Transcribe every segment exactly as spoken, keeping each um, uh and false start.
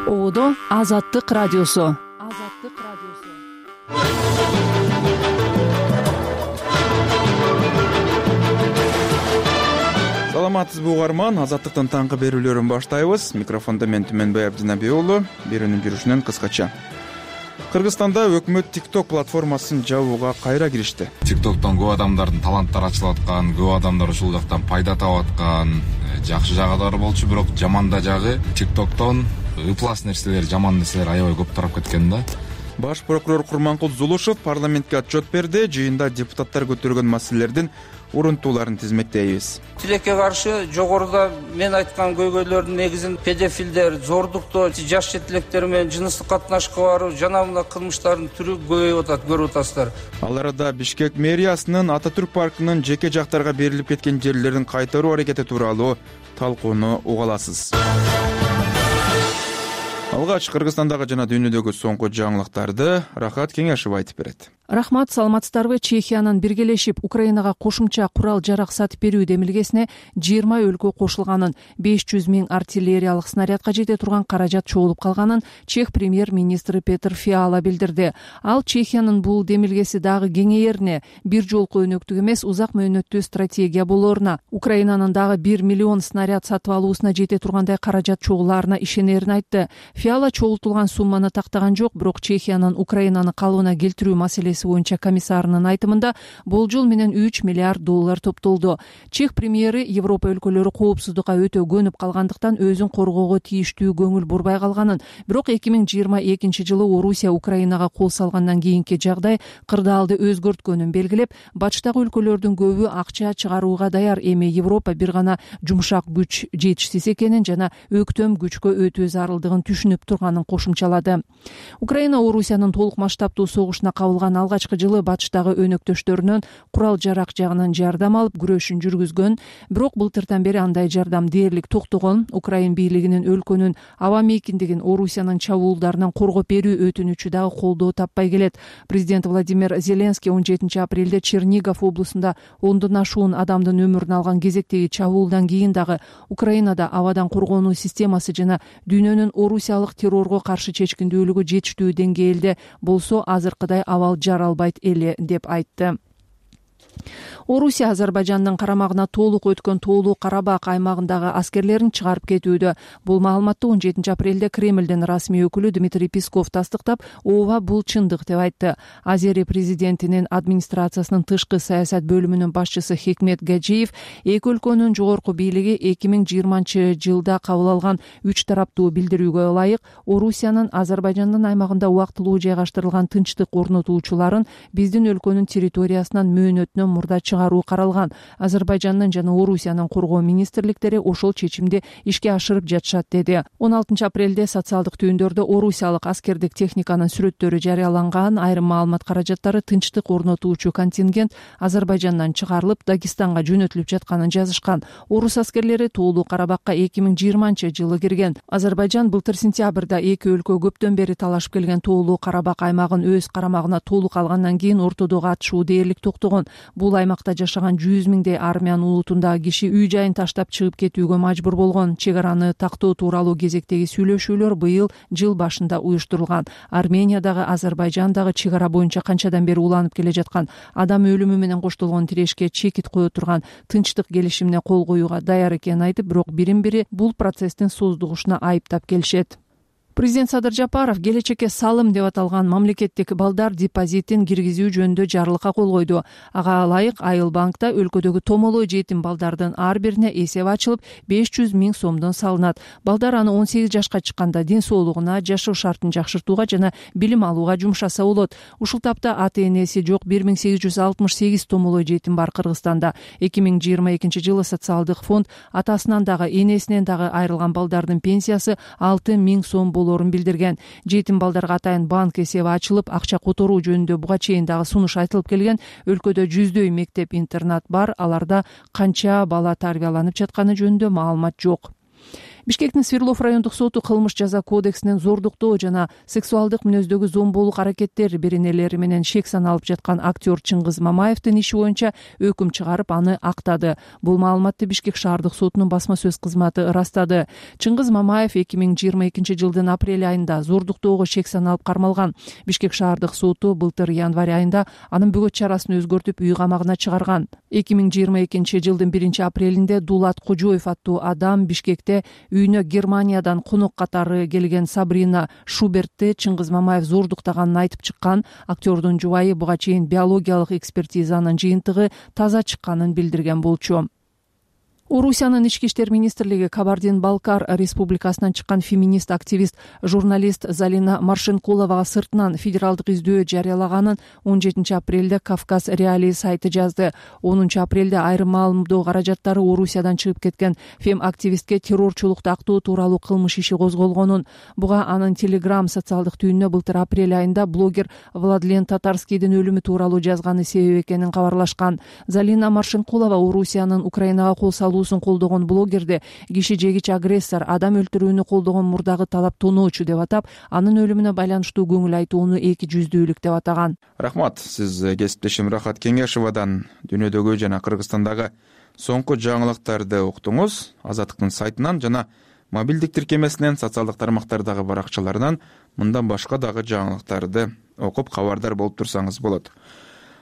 Ободо Азаттык радиосу. Азаттык радиосу. Саламатсызбы угарман, Азаттыктын таңкы берүүлөрүн баштайбыз. Микрофондо мен Түмөнбай Абдинабек уулу. Берүүнүн жүрүшүнөн кыскача. Кыргызстанда өкмөт TikTok платформасын жабууга кайра киришти. TikToктон көп адамдардын таланттары ачылып аткан, көп адамдар ушул жактан пайда таап аткан, жакшы жагы болчу, бирок жаман да жагы TikToктон ыплас нерселер, жаман нерселер аябай көп тарап кеткен да. Баш прокурор Курманкул Зулушев парламентке отчет берди. Жыйында депутаттар көтөргөн маселелердин урунтууларын тизмектейбиз. Тилекке каршы жогоруда мен айткан көйгөйлөрдүн негизин педофилдер, зордуктоо, жаш жетилектер менен жыныстык катнашка баруу жана мына кылмыштардын түрү көбөйүп атат, көрүп атасыздар. Ал арада Бишкек мэриясынын Ататүрк паркынын жеке жактарга берилип кеткен жерлерин кайтаруу аракети тууралуу талкууну уга аласыз. Алгач Кыргызстандагы жана дүйнөдөгү соңку жаңылыктарды Рахат Кеңешев айтып берет. Рахмат, саламатсыздарбы? Чехиянын биргелешип Украинага кошумча курал жарак сатып берүү демилгесине жыйырма өлкө кошулганын, беш жүз миң артиллериялык снарядка жете турган каражат чогулуп калганын Чех премьер-министри Петр Фиала билдирди. Ал Чехиянын бул демилгеси дагы кеңейерине, бир жолку өнөктүк эмес, узак мөөнөттүү стратегия болоруна, Украинанын дагы бир миллион снаряд сатып алуусуна жете тургандай каражат чогулаарына ишенерин айтты. Фиала чогултулган сумманы тактаган жок, бирок Чехиянын Украинаны калыбына келтирүү маселеси боюнча комиссарынын айтымында болжол менен үч миллиард доллар топтолду. Чех премьери Европа өлкөлөрү коопсуздукка өтө көнүп калгандыктан өзүн коргоого тийиштүү көңүл бурбай калганын, бирок эки миң жыйырма экинчи жылы Орусия Украинага кол салгандан кийинки жагдай кырдаалды өзгөрткөнүн белгилеп, бачтагы өлкөлөрдүн көбү акча чыгарууга даяр, эми Европа бир гана жумшак күч жетишсиз экенин жана өктөм күчкө өтүү зарылдыгын түшүнүп турганын кошумчалады. Украина Орусиянын толук масштабтуу согушуна кабылган алгачкы жылы батыштагы өнөктөштөрүнөн курал жарак жагынан жардам алып күрөшүн жүргүзгөн, бирок былтырдан бери андай жардам дээрлик токтогон. Украин бийлигинин өлкөнүн аба мейкиндигин Орусиянын чабуулдарынан коргоп берүү өтүнүчү дагы колдоо таппай келет. Президент Владимир Зеленский он жетинчи апрелде Чернигов облусунда ондон ашуун адамдын өмүрүн алган кезектеги чабуулдан кийин дагы Украинада абадан коргонуу системасы жана дүйнөнүн орусиялык террорго каршы чечкиндүүлүгү жетиштүү деңгээлде болсо азыркыдай абал жаралбайт эле деп айтты. Орусия Азербайжандын карамагына толук өткөн Тоолуу Карабак аймагындагы аскерлерин чыгарып кетүүдө. Бул маалыматты он жетинчи апрелде Кремлдин расмий өкүлү Дмитрий Песков тастыктап, ооба бул чындык деп айтты. Азери президентинин администрациясынын тышкы саясат бөлүмүнүн башчысы Хикмет Гаджиев эки өлкөнүн жогорку бийлиги эки миң жыйырманчы жылда кабыл алган үч тараптуу билдирүүгө ылайык Орусиянын Азербайжандын аймагында убактылуу жайгаштырылган тынчтык орнотуучуларын биздин өлкөнүн территориясынан мөөнөтүнөн мурда чыгаруу каралган. Азербайжандын жана Орусиянын коргоо министрликтери ошол чечимди ишке ашырып жатышат, деди. он алтынчы апрелде социалдык түйүндөрдө орусиялык аскердик техниканын сүрөттөрү жарыяланган. Айрым маалымат каражаттары тынчтык орнотуучу контингент Азербайжандан чыгарылып, Дагестанга жөнөтүлүп жатканын жазышкан. Орус аскерлери Тоолуу Карабакка эки миң жыйырманчы жылы кирген. Азербайжан былтыр сентябрда эки өлкө көптөн бери талашып келген Тоолуу Карабак аймагын өз карамагына толук алгандан кийин ортодогу атышуу дээрлик токтогон. Бул аймакта жашаган жүз миңдей армян улутундагы киши үй жайын таштап чыгып кетүүгө мажбур болгон. Чек араны тактоо тууралуу кезектеги сүйлөшүүлөр быйыл жыл башында уюштурулган. Армениядагы, Азербайжандагы чек ара боюнча канчадан бери уланып келе жаткан, адам өлүмү менен коштолгон тирешке чекит кое турган тынчтык келишимине кол коюуга даяр экенин айтып, бирок бирин бири бул процесстин создугушуна айыптап келишет. Президент Садыр Жапаров келечекке салым деп аталган мамлекеттик балдар депозитин киргизүү жөнүндө жарлыкка кол койду. Ага ылайык Айыл банкта өлкөдөгү томолой жетим балдардын ар бирине эсеп ачылып, беш жүз миң сомдон салынат. Балдар аны он сегиз жашка чыкканда ден соолугуна, жашоо шартын жакшыртууга жана билим алууга жумшаса болот. Ушул тапта ата энеси жок бир миң сегиз жүз алтымыш сегиз томолой жетим бар Кыргызстанда. эки миң жыйырма экинчи жылы социалдык фонд атасынан дагы энесинен дагы айрылган балдардын пенсиясы алты миң сом болот билдирген. Жетим балдарга атайын банк эсеби ачылып, акча которуу жөнүндө буга чейин дагы сунуш айтылып келген. Өлкөдө жүздөй мектеп-интернат бар, аларда канча бала тарбияланып жатканы жөнүндө маалымат жок. Бишкектин Свердлов райондук соту кылмыш жаза кодексинен зордуктоо жана сексуалдык мүнөздөгү зомбулук аракеттер беренелери менен шек саналып жаткан актер Чыңгыз Мамаевдин иши боюнча өкүм чыгарып, аны актады. Бул маалыматты Бишкек шаардык сотунун басма сөз кызматы ырастады. Чыңгыз Мамаев эки миң жыйырма экинчи жылдын апрель айында зордуктоого шек саналып кармалган. Бишкек шаардык соту былтыр январь айында анын бөгөт чарасын өзгөртүп үй камагына чыгарган. эки миң жыйырма экинчи жылдын биринчи апрелинде Дулат Кожоев аттуу адам Бишкекте үйүнө Германиядан конок катары келген Сабрина Шубертти Чыңгыз Мамаев зордуктаганын айтып чыккан. Актердун жубайы буга чейин биологиялык экспертизанын жыйынтыгы таза чыкканын билдирген болчу. Орусиянын ички иштер министрлиги Кабардин-Балкар республикасынан чыккан феминист активист журналист Залина Маршенкуловага сыртынан федералдык издөө жарыялаганын он жетинчи апрелде Кавказ Реалии сайты жазды. онунчу апрелде айрым маалымдоо каражаттары Орусиядан чыгып кеткен фем активистке террорчулукту актоо тууралуу кылмыш иши козголгонун, буга анын Telegram социалдык түйүнүнө былтыр апрель айында блогер Владлен Татарскийдин өлүмү тууралуу жазганы себеп экенин кабарлашкан. Залина Маршенкулова Орусиянын Украинага кол салуу колдогон блогерди киши жегич агрессор, адам өлтүрүүнү колдогон мурдагы талап тоноочу деп атап, анын өлүмүнө байланыштуу көңүл айтууну эки жүздүүлүк деп атаган. Рахмат. Сиз кесиптешим Рахат Кеңешовадан дүйнөдөгү жана Кыргызстандагы соңку жаңылыктарды уктуңуз. Азаттыктын сайтынан жана мобилдик тиркемесинен, социалдык тармактардагы баракчаларынан мындан башка дагы жаңылыктарды окуп кабардар болуп турсаңыз болот.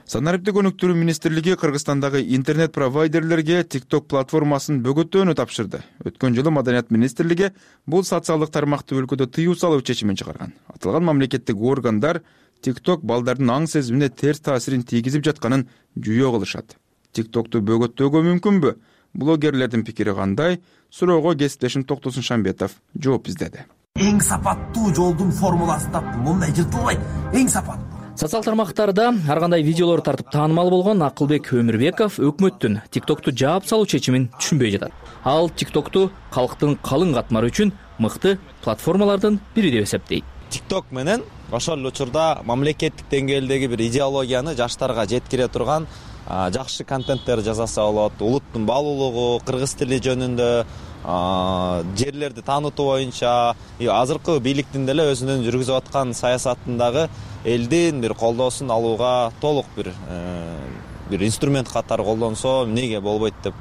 Санариптик өнүктүрүү министрлиги Кыргызстандагы интернет провайдерлерге TikTok платформасын бөгөттөөнү тапшырды. Өткөн жылы Маданият министрлиги бул социалдык тармакты өлкөдө тыюу салуу чечимин чыгарган. Аталган мамлекеттик органдар TikTok балдардын аң сезимине терс таасирин тийгизип жатканын жүйө кылышат. TikTok'ту бөгөттөөгө мүмкүнбү? Блогерлердин пикири кандай? Суроого кесиптешим Токтосун Шамбетов жооп издеди. Эң сапаттуу жолдун формуласы таптым. Мындай жыртылбайт. Эң сапаттуу. Социал тармактарда ар кандай видеолор тартып таанымал болгон Акылбек Өмүрбеков өкмөттүн TikTok'ту жаап салуу чечимин түшүнбөй жатат. Ал TikTok'ту калктын калың катмары үчүн мыкты платформалардын бири деп эсептейт. TikTok менен ошол учурда мамлекеттик деңгээлдеги бир идеологияны жаштарга жеткире турган жакшы контенттер жасаса болот. Улуттун баалуулугу, кыргыз тили жөнүндө, жерлерди таанытуу боюнча азыркы бийликтин деле өзүнүн жүргүзүп аткан саясатындагы элдин бир колдоосун алууга толук бир бир инструмент катары колдонсо эмнеге болбойт деп.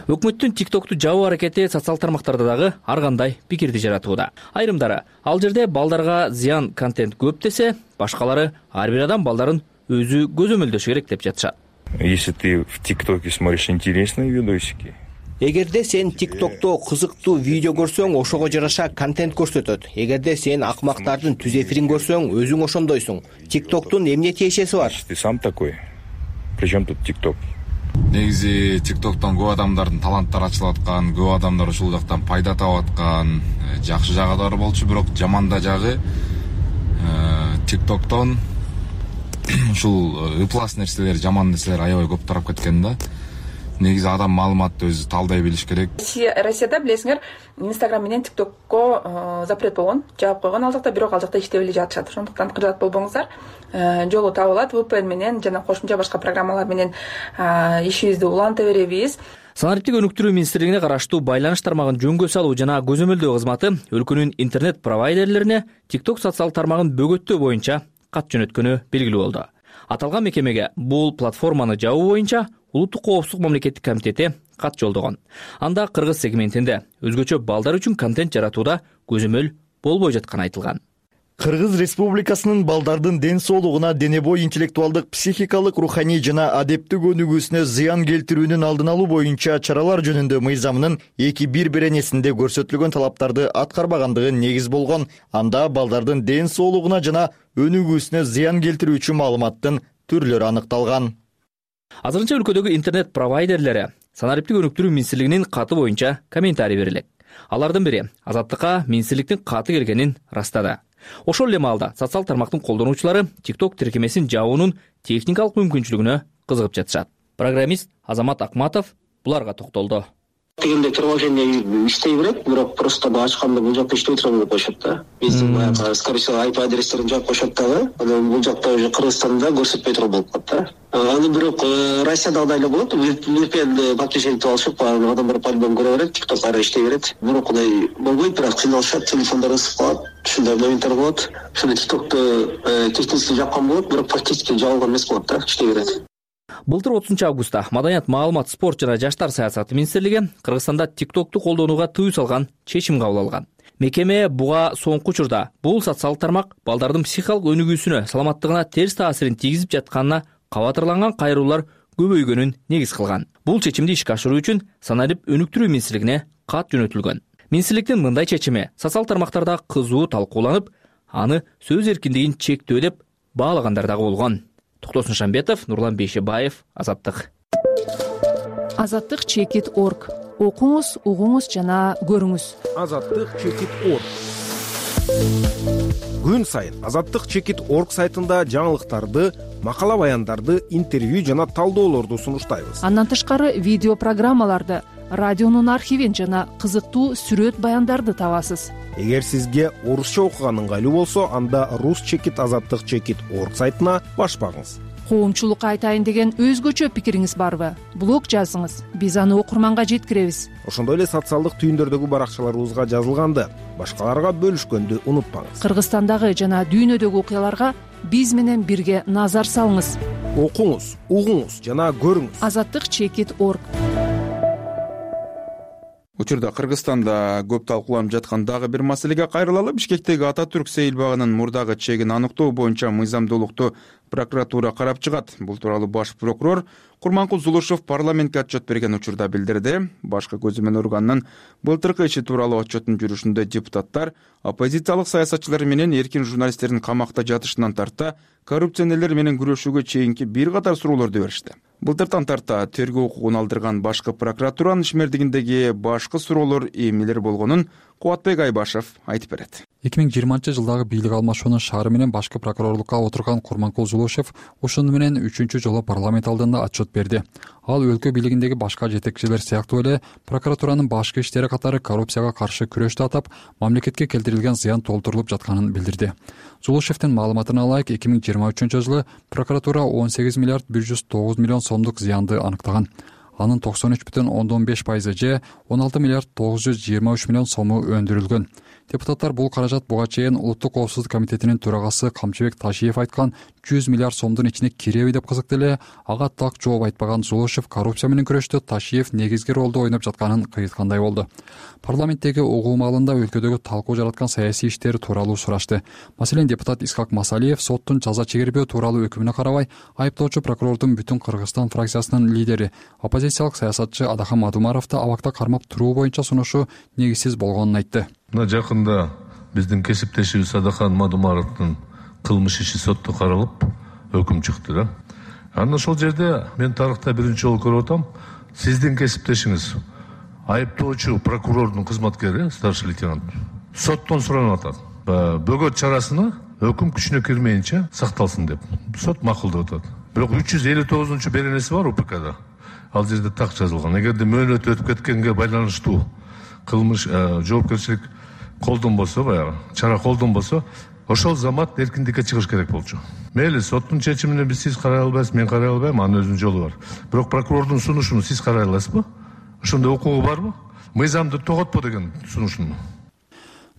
Өкмөттүн TikTok'ту жабуу аракети социал тармактарда дагы ар кандай пикирди жаратууда. Айрымдары ал жерде балдарга зыян контент көп десе, башкалары ар бир адам балдарын өзү көзөмөлдөшү керек деп жатышат. Если ты в ТикТоке смотришь интересные видосики, эгерде сен TikTok'то кызыктуу видео көрсөң, ошого жараша контент көрсөтөт. Эгерде сен акмактардын түз эфирин көрсөң, өзүң ошондойсуң. TikTok'тун эмне тиешеси бар? ты сам такой. Причем тут TikTok? Негизи TikTok'тон көп адамдардын таланттары ачылып аткан, көп адамдар ушул жактан пайда таап аткан, жакшы жагы да бар болчу, бирок жаман да жагы TikTok'тон ушул ыплас нерселер, жаман нерселер аябай көп тарап кеткен да. Негизи адам маалыматты өзү талдай билиш керек. Россияда билесиңер, Instagram менен TikTok'ко запрет болгон, жаап койгон ал жакта, бирок ал жакта иштеп эле жатышат. Ошондуктан кыжаат болбоңуздар. Жолу табылат, ви пи эн менен жана кошумча башка программалар менен ишибизди уланта беребиз. Санариптик өнүктүрүү министрлигине караштуу байланыш тармагын жөнгө салуу жана көзөмөлдөө кызматы өлкөнүн интернет провайдерлерине TikTok социал тармагын бөгөттөө боюнча кат жөнөткөнү белгилүү болду. Аталган мекемеге бул платформаны жабуу боюнча Улуттук коопсуздук мамлекеттик комитети кат жолдогон. Анда кыргыз сегментинде өзгөчө балдар үчүн контент жаратууда көзөмөл болбой жатканы айтылган. Кыргыз Республикасынын балдардын ден соолугуна, дене бой интеллектуалдык, психикалык, руханий жана адептик өнүгүүсүнө зыян келтирүүнүн алдын алуу боюнча чаралар жөнүндө мыйзамынын эки бир беренесинде көрсөтүлгөн талаптарды аткарбагандыгы негиз болгон. Анда балдардын ден соолугуна жана өнүгүүсүнө зыян келтирүүчү маалыматтын түрлөрү аныкталган. Азырынча өлкөдөгү интернет провайдерлери Санариптик өнүктүрүү министрлигинин каты боюнча комментарий берилет. Алардын бири Азаттыкка министрликтин каты келгенин растады. Ошол эле маалда социал тармактын колдонуучулары TikTok тиркемесин жабуунун техникалык мүмкүнчүлүгүнө кызыгып жатышат. Программист Азамат Акматов буларга токтолду. дегенде приложение иштей берет, бирок просто ачканда бул жакта иштебей турган деп коюшат да. Биздин баягы скорее всего ай пи адрестерин жаап коюшат дагы. Анан бул жакта уже Кыргызстанда көрсөтпөй турган болуп калат да. Аны бирок Россияда андай эле болот. ви пи эн подключение кылып алышып, адамдар по-любому көрө берет, TikTok ары иштей берет. Бирок мындай болбойт, бирок кыйналышат, телефондор ысып калат. Ушундай моменттер болот. Ошондо TikTok'ту технически жапкан болот, бирок практически жабылган эмес болот да, иштей берет. Былтыр отузунчу августта Маданият, маалымат, спорт жана жаштар саясаты министрлиги Кыргызстанда TikTok'ту колдонууга тыюу салган чечим кабыл алган. Мекеме буга соңку учурда бул социалдык тармак балдардын психикалык өнүгүүсүнө, саламаттыгына терс таасирин тийгизип жатканына кабатырланган кайрылуулар көбөйгөнүн негиз кылган. Бул чечимди ишке ашыруу үчүн Саналип өнүктүрүү министрлигине кат жөнөтүлгөн. Министрликтин мындай чечими социалдык тармактарда кызуу талкууланып, аны сөз эркиндигин чектөө деп баалагандар дагы болгон. Токтосун Шамбетов, Нурлан Бейшебаев, Азаттык. Азаттык чекит точка орг. Окуңуз, угуңуз жана көрүңүз. Азаттык чекит точка орг. Күн сайын Азаттык чекит точка орг сайтында жаңылыктарды, макала баяндарды, интервью жана талдоолорду сунуштайбыз. Андан тышкары видео программаларды, радионун архивин жана кызыктуу сүрөт баяндарды табасыз. Эгер сизге орусча окуган ыңгайлуу болсо, анда рус чекит азаттык чекит точка орг сайтына баш багыңыз. Коомчулукка айтайын деген өзгөчө пикириңиз барбы? Блог жазыңыз, биз аны окурманга жеткиребиз. Ошондой эле социалдык түйүндөрдөгү баракчаларыбызга жазылганды, башкаларга бөлүшкөндү унутпаңыз. Кыргызстандагы жана дүйнөдөгү окуяларга биз менен бирге назар салыңыз. Окуңуз, угуңуз жана көрүңүз. Азаттык чекит точка орг. Учурда Кыргызстанда көп талкууланып жаткан дагы бир маселеге кайрылалы. Бишкектеги Ататүрк сейилбагынын мурдагы чегин аныктоо боюнча мыйзамдуулукту прокуратура карап чыгат. Бул тууралуу баш прокурор Курманкул Зулушев парламентке отчет берген учурда билдирди. Башкы көзөмөл органынын былтыркы иши тууралуу отчеттун жүрүшүндө депутаттар оппозициялык саясатчылар менен эркин журналисттердин камакта жатышынан тарта коррупционерлер менен күрөшүүгө чейинки бир катар суроолорду беришти. Былтыртан тарта тергөө укугун алдырган башкы прокуратуранын ишмердигиндеги башкы суроолор эмнелер болгонун Кубатбек Айбашев айтып берет. эки миң жыйырманчы жылдагы бийлик алмашуунун шаары менен башкы прокурорлукка отурган Курманкул Зулушев ушуну менен үчүнчү жолу парламент алдында отчет берди. Ал өлкө бийлигиндеги башка жетекчилер сыяктуу эле прокуратуранын башкы иштери катары коррупцияга каршы күрөштү атап, мамлекетке келтирилген зыян толтурулуп жатканын билдирди. Зулушевдин маалыматына ылайык, эки миң жыйырма үчүнчү жылы прокуратура он сегиз миллиард бир жүз тогуз миллион сомдук зыянды анықтаган. Анын токсон үч бүтүн ондон беш пайызы же он алты миллиард тогуз жүз жыйырма үч миллион сому өндүрүлгөн. Депутаттар бул каражат буга чейин Улуттук коопсуздук комитетинин төрагасы Камчыбек Ташиев айткан жүз миллиард сомдун ичине киреби деп кызыкты эле. Ага так жооп айтпаган Зулушев коррупция менен күрөштө Ташиев негизги ролду ойноп жатканын кыйыткандай болду. Парламенттеги угуу маалында өлкөдөгү талкуу жараткан саясий иштер тууралуу сурашты. Маселен, депутат Исхак Масалиев соттун жаза чегербөө тууралуу өкүмүнө карабай, айыптоочу прокурордун Бүтүн Кыргызстан фракциясынын лидери, оппозициялык саясатчы Адахан Мадумаровду абакта кармап туруу боюнча сунушу негизсиз болгонун айтты. Мына жакында биздин кесиптешибиз Адахан Мадумаровдун кылмыш иши сотто каралып, өкүм чыкты да. Анан ошол жерде мен тарыхта биринчи жолу көрүп атам, сиздин кесиптешиңиз айыптоочу прокурордун кызматкери, старший лейтенант, соттон суранып атат. Бөгөт чарасына өкүм күчүнө кирмейинче сакталсын деп. Сот макулдап атат. Бирок үч жүз элүү тогузунчу беренеси бар УПКда. Ал жерде так жазылган. Эгерде мөөнөт өтүп кеткенге байланыштуу кылмыш жоопкерчилик колдон болсо, баягы чара колдон болсо, ошол замат эркиндикке чыгыш керек болчу. Мейли, соттун чечимине биз сиз карай албайсыз, мен карай албайм, анын өзүнүн жолу бар. Бирок прокурордун сунушун сиз карай аласызбы? Ошондой укугу барбы? Мыйзамды тоготпо деген сунушун.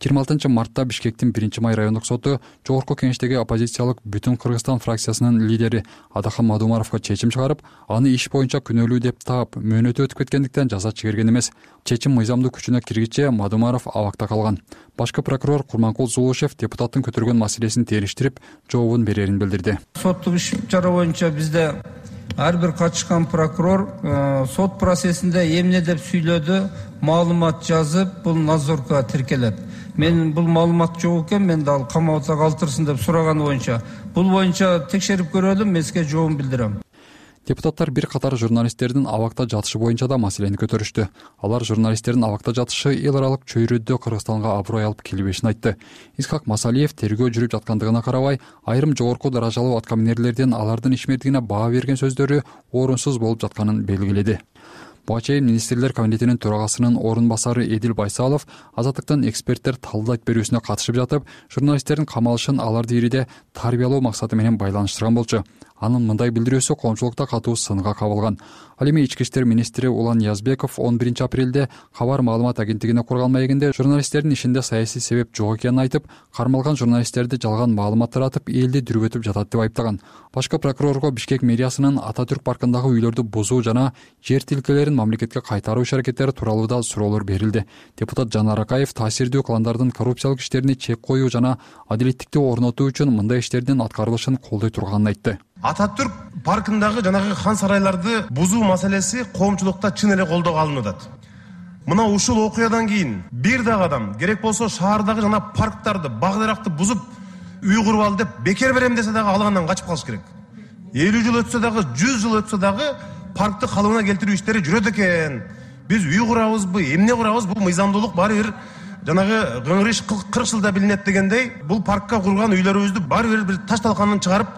жыйырма алтынчы мартта Бишкектин биринчи май райондук соту жогорку кеңештеги оппозициялык Бүтүн Кыргызстан фракциясынын лидери Адахан Мадумаровго чечим чыгарып, аны иш боюнча күнөөлүү деп таап, мөөнөтү өтүп кеткендиктен жаза чегерген эмес. Чечим мыйзамдуу күчүнө киргиче Мадумаров абакта калган. Башкы прокурор Курманкул Зулушев депутаттын көтөргөн маселесин териштирип, жообун берерин билдирди. Соттук иш чара боюнча бизде ар бир катышкан прокурор сот процессинде эмне деп сүйлөдү, маалымат жазып, бул надзорго тиркелет. Мен бул маалымат жок экен, мен дал камабатта калтырсын деп сураганы боюнча, бул боюнча текшерип көрөлүм, мен сизге жообун билдирем. Депутаттар бир катар журналисттердин абакта жатышы боюнча да маселени көтөрүштү. Алар журналисттердин абакта жатышы эл аралык чөйрөдө Кыргызстанга аброй алып келбешин айтты. Исхак Масалиев тергөө жүрүп жаткандыгына карабай, айрым жогорку даражалуу аткаминерлердин алардын ишмердигине баа берген сөздөрү орунсуз болуп жатканын белгиледи. Буга чейин министрлер комитетинин төрагасынын орун басары Эдил Байсалов Азаттыктын эксперттер талдайт берүүсүнө катышып жатып, журналисттердин камалышын аларды ириде тарбиялоо максаты менен байланыштырган болчу. Анын мындай билдирүүсү коомчулукта катуу сынга кабылган. Ал эми ички иштер министри Улан Язбеков он биринчи апрелде Кабар маалымат агенттигине курган маегинде журналисттердин ишинде саясий себеп жок экенин айтып, кармалган журналисттерди жалган маалымат таратып, элди дүрбөтүп жатат деп айыптаган. Башкы прокурорго Бишкек мэриясынын Ататүрк паркындагы үйлөрдү бузуу жана жер тилкелерин мамлекетке кайтаруу иш-аракеттери тууралуу да суроолор берилди. Депутат Жанар Акаев таасирдүү кландардын коррупциялык иштерине чек коюу жана адилеттикти орнотуу үчүн мындай иштердин аткарылышын колдой турганын айтты. Ататүрк паркындагы жанагы хан сарайларды бузуу маселеси коомчулукта чын эле колдоого алынып атат. Мына ушул окуядан кийин бир дагы адам керек болсо шаардагы жана парктарды, бак-даракты бузуп, үй куруп ал деп бекер берем десе дагы алгандан качып калыш керек. элүү жыл өтсө дагы, жүз жыл өтсө дагы паркты калыбына келтирүү иштери жүрөт экен. Биз үй курабызбы, эмне курабыз, бул мыйзамдуулук баары бир жанагы кыңгырыш кырк жылда билинет дегендей, бул паркка курган үйлөрүбүздү баары бир бир таш талканын чыгарып,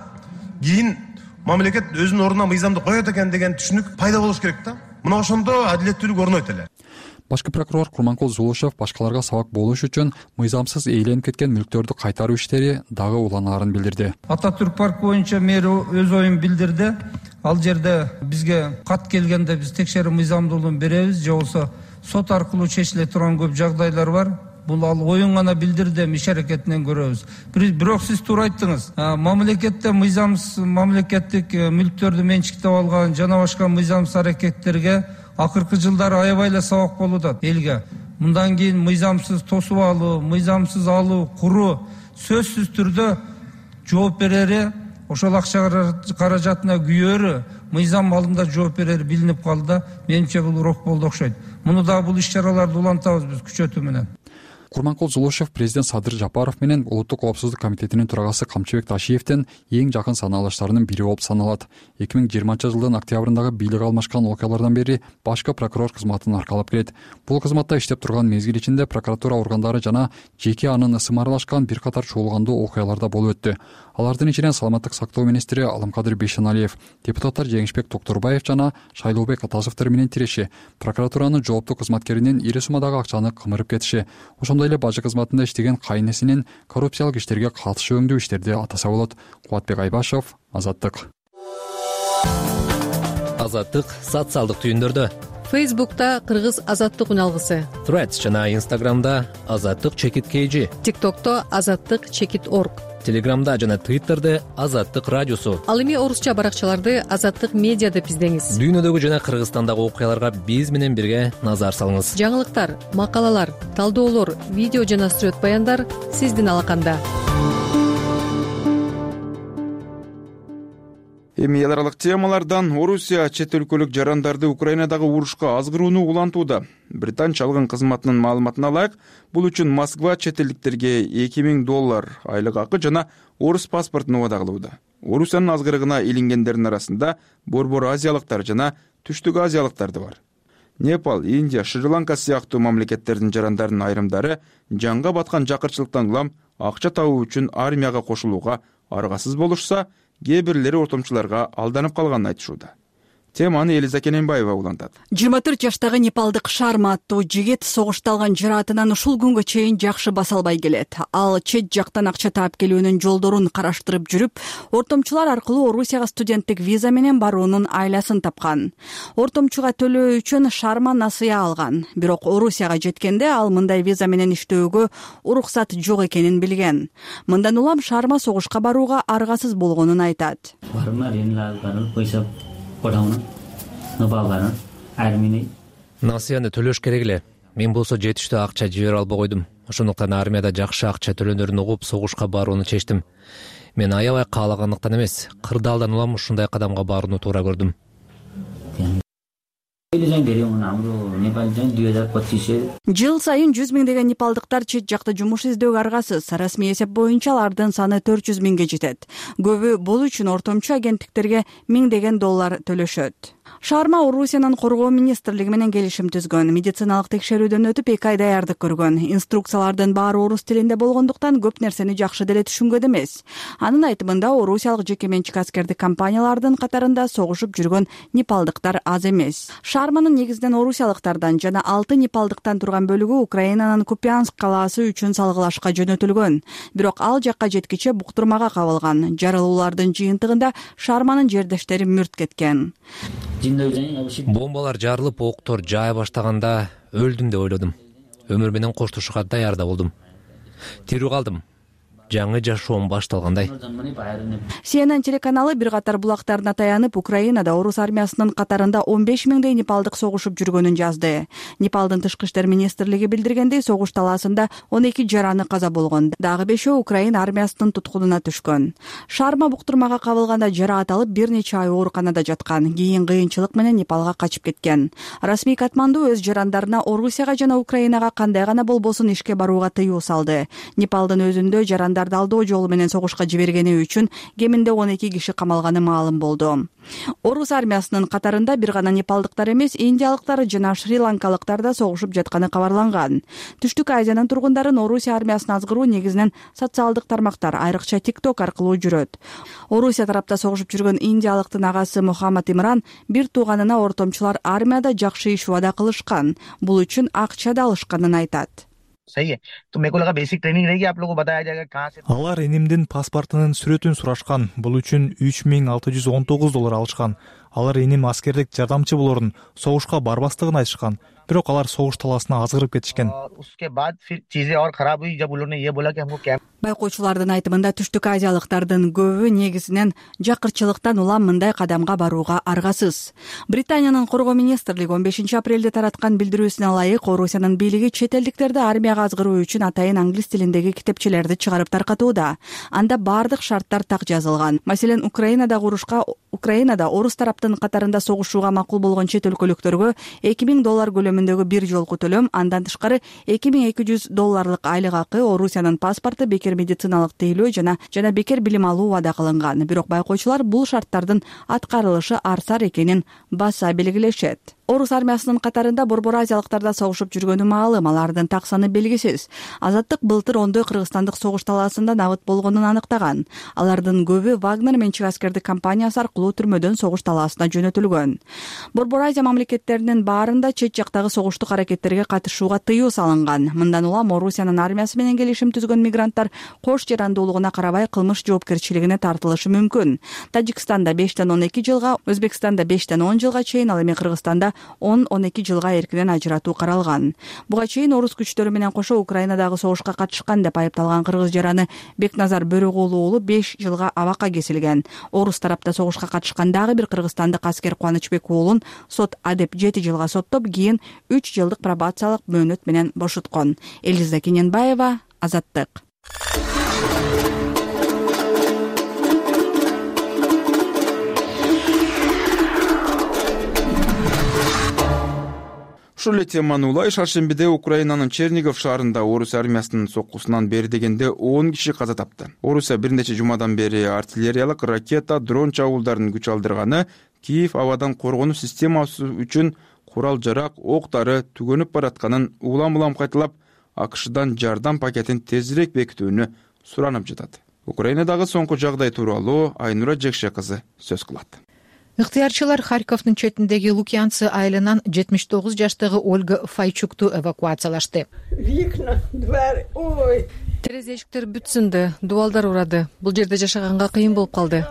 кийин мамлекет өзүнүн ордуна мыйзамды коет экен деген түшүнүк пайда болуш керек да. Мына ошондо адилеттүүлүк орнойт эле. Башкы прокурор Курманкул Зулушев башкаларга сабак болуш үчүн мыйзамсыз ээленип кеткен мүлктөрдү кайтаруу иштери дагы уланаарын билдирди. Ататүрк парк боюнча мэр өз оюн билдирди. Ал жерде бизге кат келгенде биз текшерүү мыйзамдуулугун беребиз, же болбосо сот аркылуу чечиле турган көп жагдайлар бар. Бул ал оюн гана билдирди, иш аракетинен көрөбүз. Бирок сиз туура айттыңыз. Мамлекетте мыйзамсыз мамлекеттик мүлктөрдү менчиктеп алган жана башка мыйзамсыз аракеттерге акыркы жылдары аябай эле сабак болуп атат элге. Мындан кийин мыйзамсыз тосуп алуу, мыйзамсыз алуу, куруу сөзсүз түрдө жооп берери, ошол акча каражатына күйөөрү, мыйзам алдында жооп берери билинип калды да, менимче бул урок болду окшойт. Муну да бул иш-чараларды улантабыз биз күчөтүү менен. Курманкул Зулушев президент Садыр Жапаров менен Улуттук коопсуздук комитетинин төрагасы Камчыбек Ташиевдин эң жакын санаалыштарынын бири болуп саналат. эки миң жыйырманчы жылдын октябрындагы бийлик алмашкан окуялардан бери башкы прокурор кызматын аркалап келет. Бул кызматта иштеп турган мезгил ичинде прокуратура органдары жана жеке анын ысымы аралашкан бир катар чуулгандуу окуяларда болуп өттү. Алардын ичинен саламаттык сактоо министри Аламкадыр Бейшеналиев, депутаттар Жеңишбек Токтурбаев жана Шайлообек Атасовдор менен тиреши, прокуратуранын жооптуу кызматкеринин ири суммадагы акчаны кымырып кетиши, ошондой эле бажы кызматында иштеген кайнесинин коррупциялык иштерге катышы өңдүү иштерди атаса болот. Кубатбек Айбашев, Азаттык. Азаттык социалдык түйүндөрдө. Фейсбукта Кыргыз Азаттык уналгысы, Threads жана Инстаграмда Азаттык чекит kg, ТикТокто Азаттык чекит орг, Телеграмда жана Твиттерде Азаттык радиосу. Ал эми орусча баракчаларды Азаттык медиа деп издеңиз. Дүйнөдөгү жана Кыргызстандагы окуяларга биз менен бирге назар салыңыз. Жаңылыктар, макалалар, талдоолор, видео жана сүрөт баяндар сиздин алаканда. Эми эл аралык темалардан Орусия чет өлкөлүк жарандарды Украинадагы урушка азгырууну улантууда. Британ чалгын кызматынын маалыматына ылайык, бул үчүн Москва чет элдиктерге эки миң доллар айлык акы жана орус паспортун убада кылууда. Орусиянын азгырыгына илингендердин арасында борбор азиялыктар жана түштүк азиялыктар да бар. Непал, Индия, Шри-Ланка сыяктуу мамлекеттердин жарандарынын айрымдары жанга баткан жакырчылыктан улам акча табуу үчүн армияга кошулууга аргасыз болушса, кээ бирлери ортомчуларга алданып калганын айтышууда. Теманы Элиза Кененбаева улантат. жыйырма төрт жаштагы непалдык Шарма аттуу жигит согушта алган жараатынан ушул күнгө чейин жакшы баса албай келет. Ал чет жактан акча таап келүүнүн жолдорун караштырып жүрүп, ортомчулар аркылуу Орусияга студенттик виза менен баруунун айласын тапкан. Ортомчуга төлөө үчүн Шарма насыя алган. Бирок Орусияга жеткенде ал мындай виза менен иштөөгө уруксат жок экенин билген. Мындан улам Шарма согушка барууга аргасыз болгонун айтат. Насыяны төлөш керек эле. Мен болсо жетиштүү акча жибере албай койдум. Ошондуктан армияда жакшы акча төлөнөрүн угуп согушка барууну чечтим. Мен аябай каалагандыктан эмес, кырдаалдан улам ушундай кадамга барууну туура көрдүм. Жыл сайын жүз миңдеген непалдыктар чет жакта жумуш издөөгө аргасыз. Расмий эсеп боюнча алардын саны төрт жүз миңге жетет. Көбү бул үчүн ортомчу агенттиктерге миңдеген доллар төлөшөт. Шаарма Орусиянын коргоо министрлиги менен келишим түзгөн. Медициналык текшерүүдөн өтүп эки ай даярдык көргөн. Инструкциялардын баары орус тилинде болгондуктан көп нерсени жакшы деле түшүнгөн эмес. Анын айтымында орусиялык жеке менчик аскердик компаниялардын катарында согушуп жүргөн непалдыктар аз эмес. Шаарманын негизинен орусиялыктардан жана алты непалдыктан турган бөлүгү Украинанын Купянск калаасы үчүн салгылашка жөнөтүлгөн. Бирок ал жакка жеткиче буктурмага кабылган. Жарылуулардын жыйынтыгында Шаарманын жердештери мүрт кеткен. Бомбалар жарылып, октор жая баштаганда өлдүм деп ойлодум. Өмүр менен коштошууга даярда болдум. Тирүү калдым. Жаңы жашоом башталгандай. Си Эн Эн телеканалы бир катар булактарына таянып, Украинада орус армиясынын катарында он беш миңдей непалдык согушуп жүргөнүн жазды. Непалдын тышкы иштер министрлиги билдиргендей, согуш талаасында он эки жараны каза болгон. Дагы бешөө Украина армиясынын туткунуна түшкөн. Шаарма буктурмага кабылганда жараат алып бир нече ай ооруканада жаткан. Кийин кыйынчылык менен Непалга качып кеткен. Расмий Катманду өз жарандарына Орусияга жана Украинага кандай гана болбосун ишке барууга тыюу салды. Непалдын өзүндө жарандар алдоо жолу менен согушка жибергени үчүн кеминде он эки киши камалганы маалым болду. Орус армиясынын катарында бир гана непалдыктар эмес, индиялыктар жана шри-ланкалыктар да согушуп жатканы кабарланган. Түштүк Азиянын тургундарын Орусия армиясына азгыруу негизинен социалдык тармактар, айрыкча TikTok аркылуу жүрөт. Орусия тарапта согушуп жүргөн индиялыктын агасы Мухаммад Имран бир тууганына ортомчулар армияда жакшы иш убада кылышкан, бул үчүн акча да алышканын айтат. Алар энимдин паспортунун сүрөтүн сурашкан. Бул үчүн үч миң алты жүз он тогуз доллар алышкан. Алар эним аскердик жардамчы болорун, согушка барбастыгын айтышкан. Бирок алар согуш талаасына азгырып кетишкен. Байкоочулардын айтымында Түштүк Азиялыктардын көбү негизинен жакырчылыктан улам мындай кадамга барууга аргасыз. Британиянын коргоо министрлиги он бешинчи апрелде тараткан билдирүүсүнө ылайык Орусиянын бийлиги чет элдиктерди армияга азгыруу үчүн атайын англис тилиндеги китепчелерди чыгарып таркатууда. Анда бардык шарттар так жазылган. Маселен, Украинада урушка Украинада орус тараптын катарында согушууга макул болгон чет өлкөлүктөргө эки миң доллар көлөмүндөгү бир жолку төлөм, андан тышкары эки миң эки жүз долларлык айлык акы, Орусиянын паспорту, бекер медициналык тейлөө жана жана бекер билим алуу вада кылынган. Бирок байкоочулар бул шарттардын аткарылышы арсар экенин баса белгилешет. Орус армиясынын катарында борбор азиялыктарда согушуп жүргөнү маалым, алардын так саны белгисиз. Азаттык былтыр ондой кыргызстандык согуш талаасында набыт болгонун аныктаган. Алардын көбү Вагнер менчик аскердик компаниясы аркылуу түрмөдөн согуш талаасына жөнөтүлгөн. Борбор Азия мамлекеттеринин баарында чет жактагы согуштук аракеттерге катышууга тыюу салынган. Мындан улам Орусиянын армиясы менен келишим түзгөн мигранттар кош жарандуулугуна карабай кылмыш жоопкерчилигине тартылышы мүмкүн. Тажикстанда бештен он эки жылга, Өзбекстанда бештен он жылга чейин, ал эми Кыргызстанда он он эки жылга эркинен ажыратуу каралган. Буга чейин орус күчтөрү менен кошо Украинадагы согушка катышкан деп айыпталган кыргыз жараны Бекназар Бөрөгулу уулу беш жылга абакка кесилген. Орус тарапта согушка катышкан дагы бир кыргызстандык аскер Кубанычбек уулун сот адеп жети жылга соттоп, кийин үч жылдык пробациялык мөөнөт менен бошоткон. Элиза Кененбаева, Азаттык. Ушул эле теманы улай шаршембиде Украинанын Чернигов шаарында орус армиясынын соккусунан бери дегенде он киши каза тапты. Орусия бир нече жумадан бери артиллериялык, ракета, дрон чабуулдарын күч алдырганы, Киев абадан коргонуу системасы үчүн курал-жарак, ок-дары түгөнүп баратканын улам-улам кайталап, АКШдан жардам пакетин тезирээк бекитүүнү суранып жатат. Украинадагы соңку жагдай тууралуу Айнура Жекше кызы сөз кылат. Ыктыярчылар Харьковдун четиндеги Лукьянцы айылынан жетимиш тогуз жаштагы Ольга Файчукту эвакуациялашты. Викна, дверь, ой. Терезе эшиктер бүт сынды, дубалдар урады. Бул жерде жашаганга кыйын болуп калды.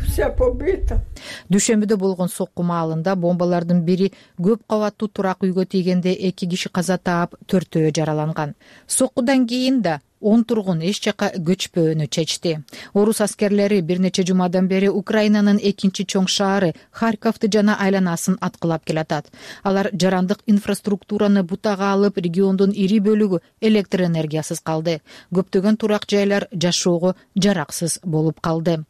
Вся побита. Дүйшөмбүдө болгон сокку маалында бомбалардын бири көп кабаттуу турак үйгө тийгенде эки киши каза таап, төртөө жараланган. Соккудан кийин да он тургун эч жака көчпөөнү чечти. Орус аскерлери бир нече жумадан бери Украинанын экинчи чоң шаары Харьковду жана айланасын аткылап келатат. Алар жарандык инфраструктураны бутага алып, региондун ири бөлүгү электр энергиясыз калды. Көптөгөн турак жайлар жашоого жараксыз болуп калды.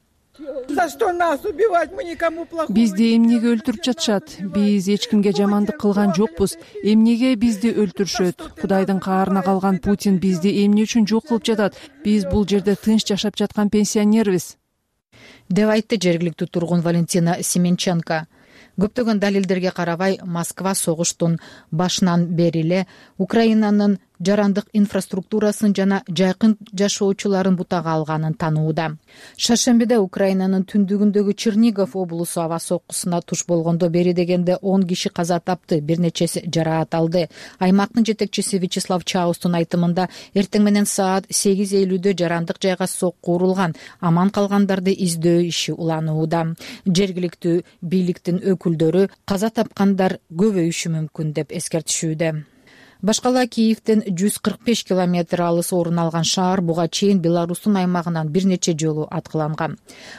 За что нас убивать? Мы никому плохого. Бизди эмнеге өлтүрүп жатышат? Биз эч кимге жамандык кылган жокпуз. Эмнеге бизди өлтүрүшөт? Кудайдын каарына калган Путин бизди эмне үчүн жок кылып жатат? Биз бул жерде тынч жашап жаткан пенсионербиз. деп айтты жергиликтүү тургун Валентина Семенченко. Көптөгөн далилдерге карабай, Москва согуштун башынан бери эле Украинанын жарандык инфраструктурасын жана жайкын жашоочуларын бутага алганын таанууда. Шаршембиде Украинанын түндүгүндөгү Чернигов облусу аба соккусуна туш болгондо бери дегенде он киши каза тапты, бир нечеси жараат алды. Аймактын жетекчиси Вячеслав Чаустун айтымында эртең менен саат сегиз элүүдө жарандык жайга сокку урулган, аман калгандарды издөө иши уланууда. Жергиликтүү бийликтин өкүлдөрү каза тапкандар көбөйүшү мүмкүн деп эскертишүүдө. Башкала Киевден жүз кырк беш километр алыс орун алган шаар буга чейин Беларустун аймагынан бир нече жолу аткыланган.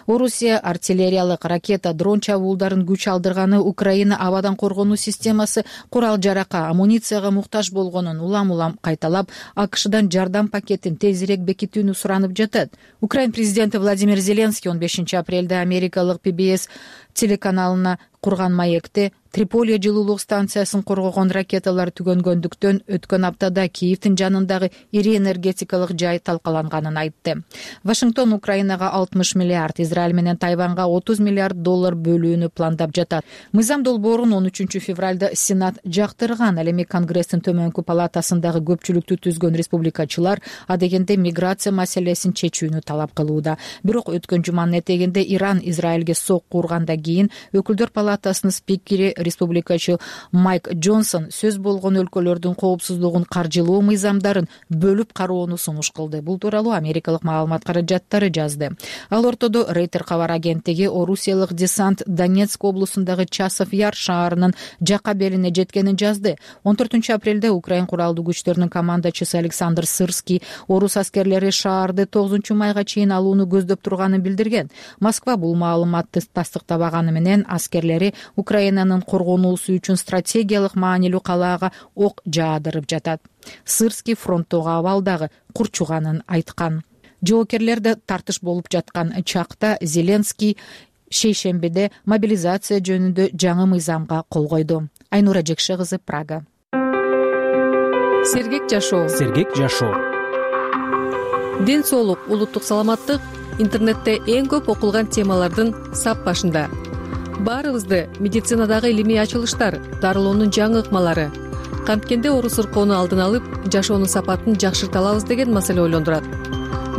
Орусия артиллериялык ракета, дрон чабуулдарын күч алдырганы Украина абадан коргонуу системасы курал-жаракка, амуницияга муктаж болгонун улам-улам кайталап, АКШдан жардам пакетин тезирээк бекитүүнү суранып жатат. Украин президенти Владимир Зеленский он бешинчи апрелде америкалык Пи Би Эс телеканалына курган маекте Триполи жылуулук станциясын коргогон ракеталар түгөнгөндүктөн өткөн аптада Киевдин жанындагы ири энергетикалык жай талкаланганын айтты. Вашингтон Украинага алтымыш миллиард, Израиль менен Тайванга отуз миллиард доллар бөлүүнү пландап жатат. Мыйзам долбоорун он үчүнчү февралда Сенат жактырган. Ал эми Конгресстин төмөнкү палатасындагы көпчүлүктү түзгөн республикачылар адегенде миграция маселесин чечүүнү талап кылууда. Бирок өткөн жуманын этегинде Иран Израилге сокку ургандан кийин өкүлдөр палатасынын спикери республикачы Майк Джонсон сөз болгон өлкөлөрдүн коопсуздугун каржылоо мыйзамдарын бөлүп кароону сунуш кылды. Бул тууралуу америкалык маалымат каражаттары жазды. Ал ортодо Рейтер кабар агенттиги орусиялык десант Донецк облусундагы Часов Яр шаарынын жакка белине жеткенин жазды. он төртүнчү апрелде Украин куралдуу күчтөрүнүн командачысы Александр Сырский орус аскерлери шаарды тогузунчу майга чейин алууну көздөп турганын билдирген. Москва бул маалыматты тастыктабаганы менен аскерлери Украинанын коргонуусу үчүн стратегиялык маанилүү калаага ок жаадырып жатат. Сырский фронттогу абалдагы курчуганын айткан. Жоокерлерде тартыш болуп жаткан чакта Зеленский шейшембиде мобилизация жөнүндө жаңы мыйзамга кол койду. Айнура Жекше кызы, Прага. Сергек жашоо. Сергек жашоо. Ден соолук, улуттук саламаттык интернетте эң көп окулган темалардын сап башында. Баарыбызды медицинадагы илимий ачылыштар, дарылоонун жаңы ыкмалары, канткенде оору сыркоону алдын алып, жашоонун сапатын жакшырта алабыз деген маселе ойлондурат.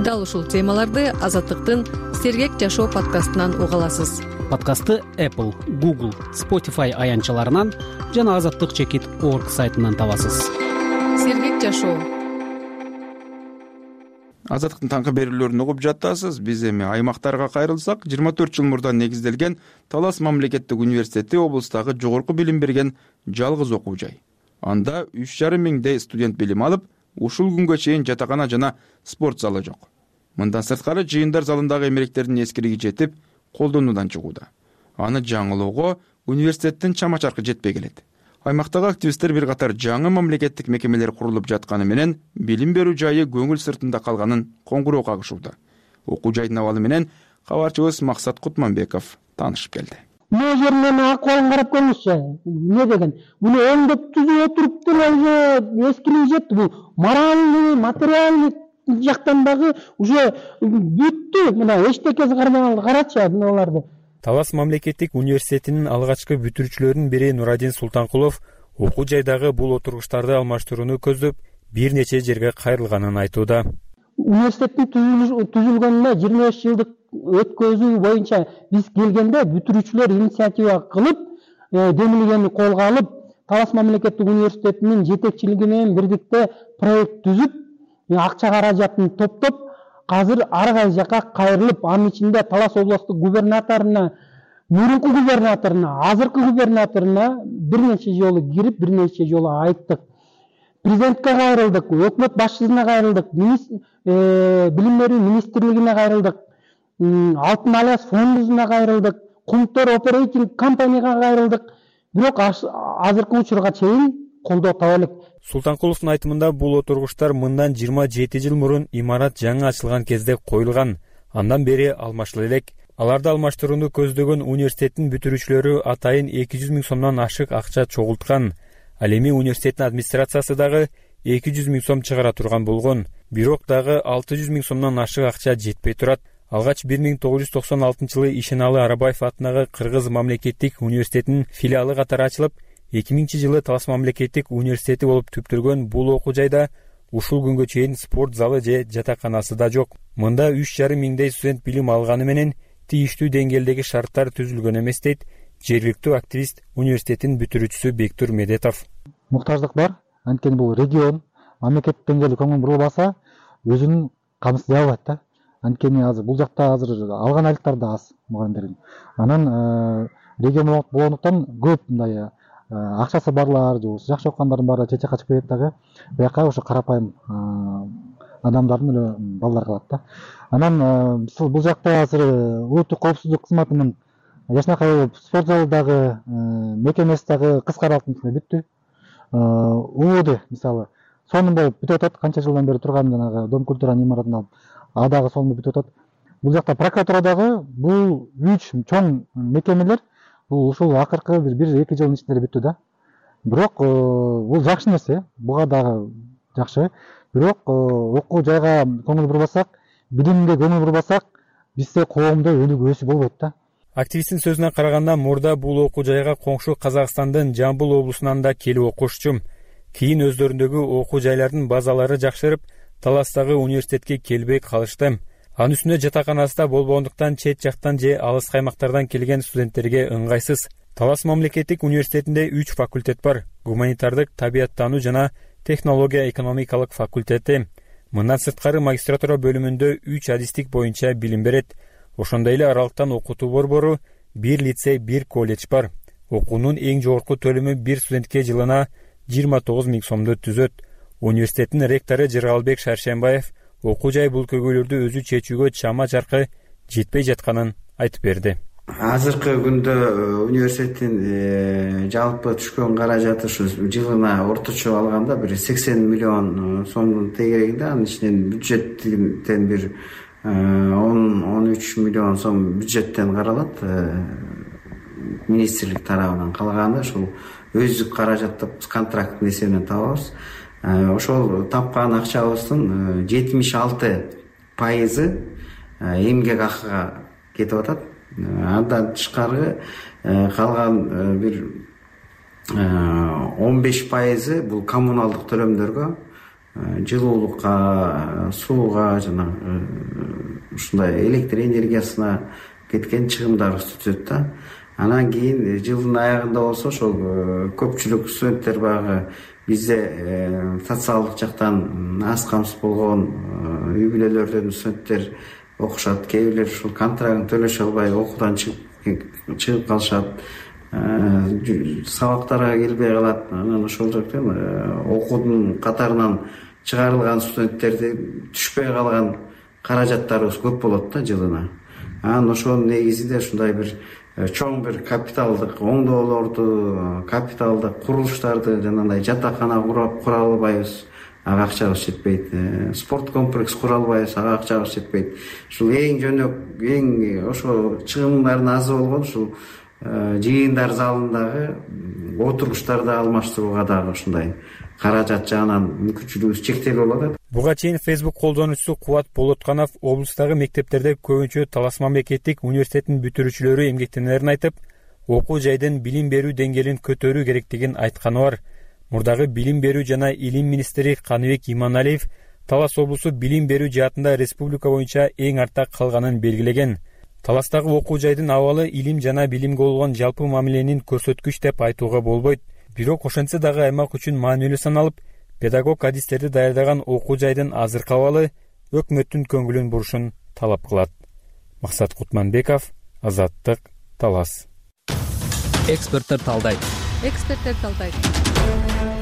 Дал ушул темаларды Азаттыктын Сергек жашоо подкастынан уга аласыз. Подкастты Apple, Google, Spotify аянтчаларынан жана азаттык чекит орг сайтынан табасыз. Сергек жашоо. Азаттыктын таңкы берүүлөрүн угуп жатасыз. Биз эми аймактарга кайрылсак, жыйырма төрт жыл мурда негизделген Талас мамлекеттик университети облустагы жогорку билим берген жалгыз окуу жай. Анда үч жарым миңдей студент билим алып, ушул күнгө чейин жатакана жана спорт залы жок. Мындан сырткары жыйындар залындагы эмеректердин эскириги жетип, колдонуудан чыгууда. Аны жаңылоого университеттин чама-чаркы жетпей келет. Аймактагы активисттер бир катар жаңы мамлекеттик мекемелер курулуп жатканы менен билим берүү жайы көңүл сыртында калганын коңгуроо кагышууда. Окуу жайдын абалы менен кабарчыбыз Максат Кутманбеков таанышып келди. Мына жеринен акыбалын карап көрүңүзчү. Эмне деген? Буну оңдоп түзүп отуруп деле эскилиги жетти. Бул моральный, материальный жактан дагы уже бүттү. Мына эчтекеси кармаганды карачы буналарды. Талас мамлекеттик университетинин алгачкы бүтүрүүчүлөрүнүн бири Нурадин Султанкулов окуу жайдагы бул отургучтарды алмаштырууну көздөп бир нече жерге кайрылганын айтууда. Университеттин түзүлгөнүнө жыйырма беш жылдык өткөзүү боюнча биз келгенде бүтүрүүчүлөр инициатива кылып, демилгени колго алып, Талас мамлекеттик университетинин жетекчилиги менен бирдикте проект түзүп, акча каражатын топтоп, азыр ар кайсы жака кайрылып, анын ичинде Талас облустук губернаторуна, мурунку губернаторуна, азыркы губернаторуна бир нече жолу кирип, бир нече жолу айттык. Президентке кайрылдык, өкмөт башчысына кайрылдык, билим берүү министрлигине кайрылдык, Алтын Альянс фондуна кайрылдык, Кумтор оперейтинг компанияга кайрылдык. Бирок азыркы учурга чейин колдоо таба элек. Султанкуловдун айтымында бул отургучтар мындан жыйырма жети жыл мурун имарат жаңы ачылган кезде коюлган. Андан бери алмашыла элек. Аларды алмаштырууну көздөгөн университеттин бүтүрүүчүлөрү атайын эки жүз миң сомдон ашык акча чогулткан. Ал эми университеттин администрациясы дагы эки жүз миң сом чыгара турган болгон. Бирок дагы алты жүз миң сомдон ашык акча жетпей турат. алгач бир миң тогуз жүз токсон алтынчы жылы Ишеналы Арабаев атындагы Кыргыз мамлекеттик университетинин филиалы катары ачылып, эки миңинчи жылы Талас мамлекеттик университети болуп түптөлгөн бул окуу жайда ушул күнгө чейин спорт залы же жатаканасы да жок. Мында үч жарым миңдей студент билим алганы менен тийиштүү деңгээлдеги шарттар түзүлгөн эмес дейт жергиликтүү активист, университеттин бүтүрүүчүсү Бектур Медетов. Муктаждык бар, анткени бул регион мамлекет деңгээлде көңүл бурулбаса өзүнүн камсыздай албайт да. Анткени азыр бул жакта азыр алган айлыктар да аз мугалимдердин. Анан регион болгондуктан көп мындай акчасы барлар же жакшы окугандардын баары чет жакка чыгып кетет дагы. Бияка ошо карапайым адамдардын эле балдар калат да. Анан бул жакта азыр улуттук коопсуздук кызматынын жашынакай спорт залы дагы, мекемеси дагы кыска аралыктын ичинде бүттү. УОД мисалы сонун болуп бүтүп атат, канча жылдан бери турган жанагы Дом культуранын имаратын алып, а дагы сонун бүтүп атат. Бул жакта прокуратура дагы бул үч чоң мекемелер бул ушул акыркы бир бир эки жылдын ичинде бүттү да. Бирок бул жакшы нерсе, буга дагы жакшы. Бирок окуу жайга көңүл бурбасак, билимге көңүл бурбасак, бизде коомдо өнүгүү өсүү болбойт да. Активисттин сөзүнө караганда, мурда бул окуу жайга коңшу Казакстандын Жамбыл облусунан да келип окушчу. Кийин өздөрүндөгү окуу жайлардын базалары жакшырып, Таластагы университетке келбей калышты. Анын үстүнө жатаканасы да болбогондуктан чет жактан же алыс каймактардан келген студенттерге ыңгайсыз. Талас мамлекеттик университетинде үч факультет бар: гуманитардык, табияттануу жана технология экономикалык факультети. Мындан сырткары магистратура бөлүмүндө үч адистик боюнча билим берет. Ошондой эле аралыктан окутуу борбору, бир лицей, бир колледж бар. Окуунун эң жогорку төлөмү бир студентке жылына жыйырма тогуз миң сомду түзөт. Университеттин ректору Жыргалбек Шаршембаев окуу жай бул көйгөйлөрдү өзү чечүүгө чама чаркы жетпей жатканын айтып берди. Азыркы күндө университеттин жалпы түшкөн каражаты ушу жылына орточо алганда бир сексен миллион сомдун тегерегинде, анын ичинен бюджеттен бир он он үч миллион сом бюджеттен каралат, министрлик тарабынан. Калганы ушул өздүк каражатты контракттын эсебинен табабыз. Ошол тапкан акчабыздын жетимиш алты пайызы эмгек акыга кетип атат. Андан тышкары калган бир он беш пайызы бул коммуналдык төлөмдөргө, жылуулукка, сууга жана ушундай электр энергиясына кеткен чыгымдарыбызды түзөт да. Анан кийин жылдын аягында болсо ошол көпчүлүк студенттер багы бизде социалдык жактан аз камсыз болгон үй бүлөлөрдөн студенттер окушат. Кээ бирлер ушул контрактын төлөшө албай окуудан чыгып чыгып калышат, сабактарга келбей калат. Анан ошол жактан окуудун катарынан чыгарылган студенттерди түшпөй калган каражаттарыбыз көп болот да жылына. Анан ошонун негизинде ушундай бир чоң бир капиталдык оңдоолорду, капиталдык курулуштарды, жанагындай жатакана кура албайбыз, ага акчабыз жетпейт. Спорт комплекс кура албайбыз, ага акчабыз жетпейт. Ушул эң жөнөк, эң ошо чыгымдардын азы болгон ушул жыйындар залындагы отургучтарды алмаштырууга дагы ушундай каражат жагынан мүмкүнчүлүгүбүз чектелип атат. Буга чейин Facebook колдонуучусу Кубат Болотканов облустагы мектептерде көбүнчө Талас мамлекеттик университетинин бүтүрүүчүлөрү эмгектенерин айтып, окуу жайдын билим берүү деңгээлин көтөрүү керектигин айтканы бар. Мурдагы билим берүү жана илим министри Каныбек Иманалиев Талас облусу билим берүү жаатында республика боюнча эң артта калганын белгилеген. Таластагы окуу жайдын абалы илим жана билимге болгон жалпы мамиленин көрсөткүч деп айтууга болбойт. Бирок ошентсе дагы аймак үчүн маанилүү саналып, педагог адистерди даярдаган окуу жайдын азыркы абалы өкмөттүн көңүлүн бурушун талап кылат. Максат Кутманбеков, Азаттык, Талас. Эксперттер талдайт. Эксперттер талдайт.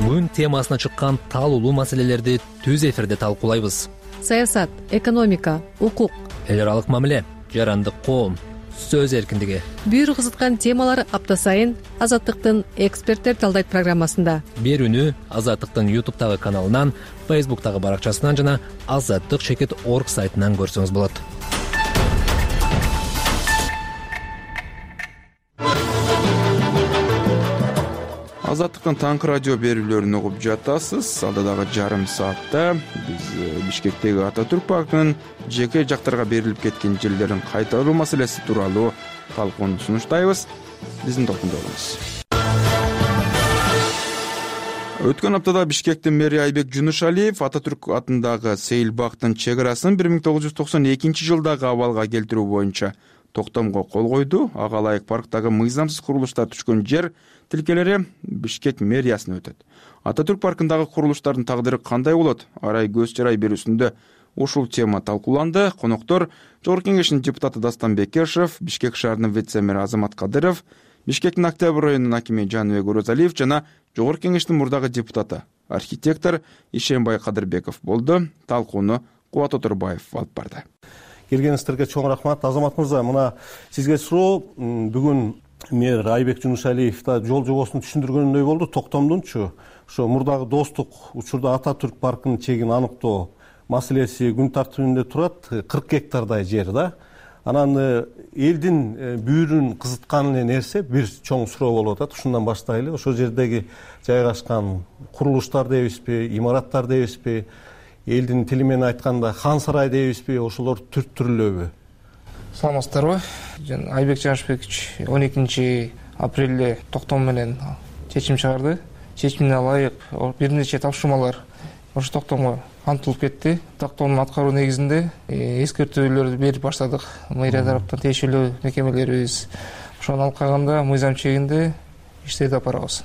Күн темасына чыккан талуулуу маселелерди түз эфирде талкуулайбыз. Саясат, экономика, укук, эл аралык мамиле, жарандык коом, сөз эркиндиги. Бир кызыткан темалар апта сайын Азаттыктын эксперттер талдайт программасында. Берүүнү Азаттыктын ютубтагы каналынан, фейсбуктагы баракчасынан жана азаттык чекит орг сайтынан көрсөңүз болот. азаттыктын таңкы радио берүүлөрүн угуп жатасыз. Алда дагы жарым саатта биз Бишкектеги Ататүрк паркынын жеке жактарга берилип кеткен жерлерин кайтаруу маселеси тууралуу талкууну сунуштайбыз. Биздин топтунда болуңуз. Өткөн аптада Бишкектин мэри Айбек Жунушалиев Ататүрк атындагы Сейил бактын чек арасын бир миң тогуз жүз токсон экинчи жылдагы абалга келтирүү боюнча токтомго кол койду. Ага ылайык парктагы мыйзамсыз курулуштар түшкөн жер тилкелери Бишкек мэриясына өтөт. Ататүрк паркындагы курулуштардын тагдыры кандай болот? Арай көз чарай берүүсүндө ушул тема талкууланды. Коноктор Жогорку Кеңештин депутаты Дастан Бекешев, Бишкек шаарынын вице-мери Азамат Кадыров, Бишкектин Октябрь районунун акими Жаныбек Оразалиев жана Жогорку Кеңештин мурдагы депутаты, архитектор Ишембай Кадырбеков болду. Талкууну Кубат Оторбаев алып барды. Келгениңиздерге чоң рахмат. Азамат мырза, мына сизге суроо. Бүгүн мэр Айбек Жунушалиев да жол жобосун түшүндүргөндөй болду. Токтомдунчу ошо мурдагы достук учурда Ататүрк паркынын чегин аныктоо маселеси күн тартибинде турат. кырк гектардай жер да. Анан элдин бүйүрүн кызыткан эле нерсе бир чоң суроо болуп атат. Ушундан баштайлы. Ошол жердеги жайгашкан курулуштар дейбизби, имараттар дейбизби, элдин тили менен айтканда хан сарай дейбизби, ошолор түрттүрүлөбү? Саламатсыздарбы? Айбек Жанышбекович он экинчи апрелде токтом менен чечим чыгарды. Чечимине ылайык бир нече тапшырмалар ошо токтомго кантылып кетти. Токтомдун аткаруу негизинде эскертүүлөрдү берип баштадык. Мэрия тараптан тиешелүү мекемелерибиз ошону алып калганда мыйзам чегинде иштерди алып барабыз.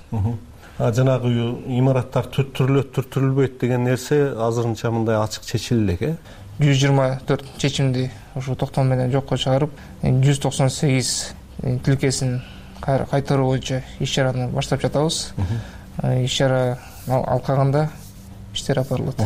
Жанагы имараттар түрттүрүлөт, түрттүрүлбөйт деген нерсе азырынча мындай ачык чечиле элек, э? жүз жыйырма төрт чечимди ошо токтом менен жокко чыгарып, жүз токсон сегиз тилкесин кайтаруу боюнча иш-чараны баштап жатабыз. Иш-чара алып калганда иштер алып барылат.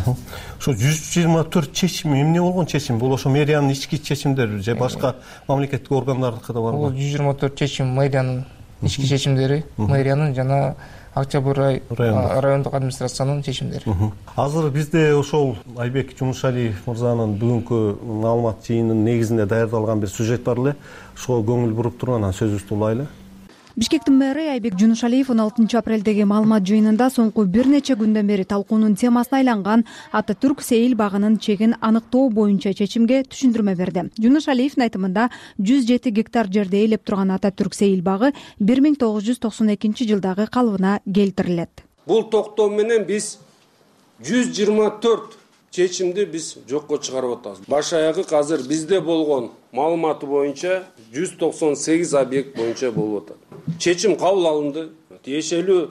Ошо жүз жыйырма төрт чечим эмне болгон чечим? Бул ошо мэриянын ички чечимдери же башка мамлекеттик органдардыкы да барбы? Бул жүз жыйырма төрт чечим мэриянын ички чечимдери, мэриянын жана Октябрь райондук администрациянын чечимдери. Азыр бизде ошол Айбек Жунушалиев мырзанын бүгүнкү маалымат жыйынынын негизинде даярдалган бир сюжет бар эле. Ошого көңүл буруп туруп анан сөзүбүздү улайлы. Бишкектин мэри Айбек Жунушалиев он алтынчы апрелдеги маалымат жыйынында соңку бир нече күндөн бери талкуунун темасына айланган Ататүрк Сейил багынын чегин аныктоо боюнча чечимге түшүндүрмө берди. Жунушалиевдин айтымында жүз жети гектар жерде ээлеп турган Ататүрк Сейил багы бир миң тогуз жүз токсон экинчи жылдагы калыбына келтирилет. Бул токтом менен биз жүз жыйырма төрт чечимди биз жокко чыгарып атабыз. Баш аягы азыр бизде болгон маалыматы боюнча жүз токсон сегиз объект боюнча болуп атат. Чечим кабыл алынды. Тиешелүү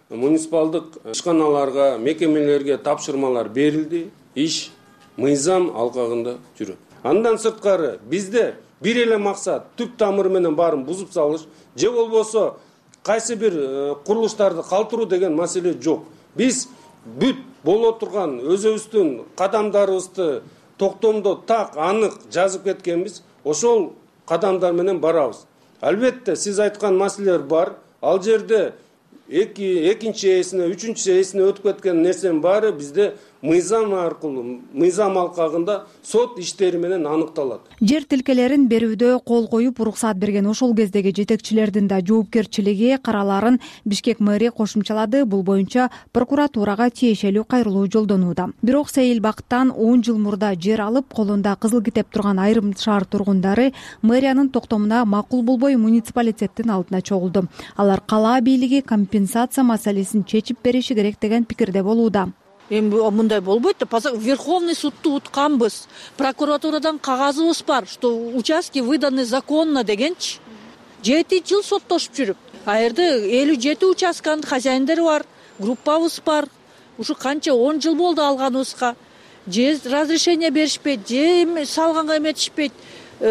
муниципалдык ишканаларга, мекемелерге тапшырмалар берилди. Иш мыйзам алкагында жүрөт. Андан сырткары бизде бир эле максат түп тамыры менен баарын бузуп салыш, же болбосо кайсы бир курулуштарды калтыруу деген маселе жок. Биз бүт боло турган өзүбүздүн кадамдарыбызды токтомдо так анык жазып кеткенбиз. Ошол кадамдар менен барабыз. Албетте сиз айткан маселелер бар. Ал жерде экинчи ээсине, үчүнчү ээсине өтүп кеткен нерсенин баары бизде мыйзам аркылуу, мыйзам алкагында сот иштери менен аныкталат. Жер тилкелерин берүүдө кол коюп уруксаат берген ошол кездеги жетекчилердин да жоопкерчилиги караларын Бишкек мэри кошумчалады. Бул боюнча прокуратурага тиешелүү кайрылуу жолдонууда. Бирок Сейил бактан он жыл мурда жер алып, колунда кызыл китеп турган айрым шаар тургундары мэриянын токтомуна макул болбой муниципалитеттин алдына чогулду. Алар кала бийлиги компенсация маселесин чечип бериши керек деген пикирде болууда. Эми мындай болбойт да, Верховный судту утканбыз. Прокуратурадан кагазыбыз бар, что участки выданы законно дегенчи. жети жыл соттошуп жүрүп. А жерде элүү жети участканын хозяиндери бар, группабыз бар. Ушу канча он жыл болду алганыбызга. Же разрешение беришпейт, же салганга эметишпейт.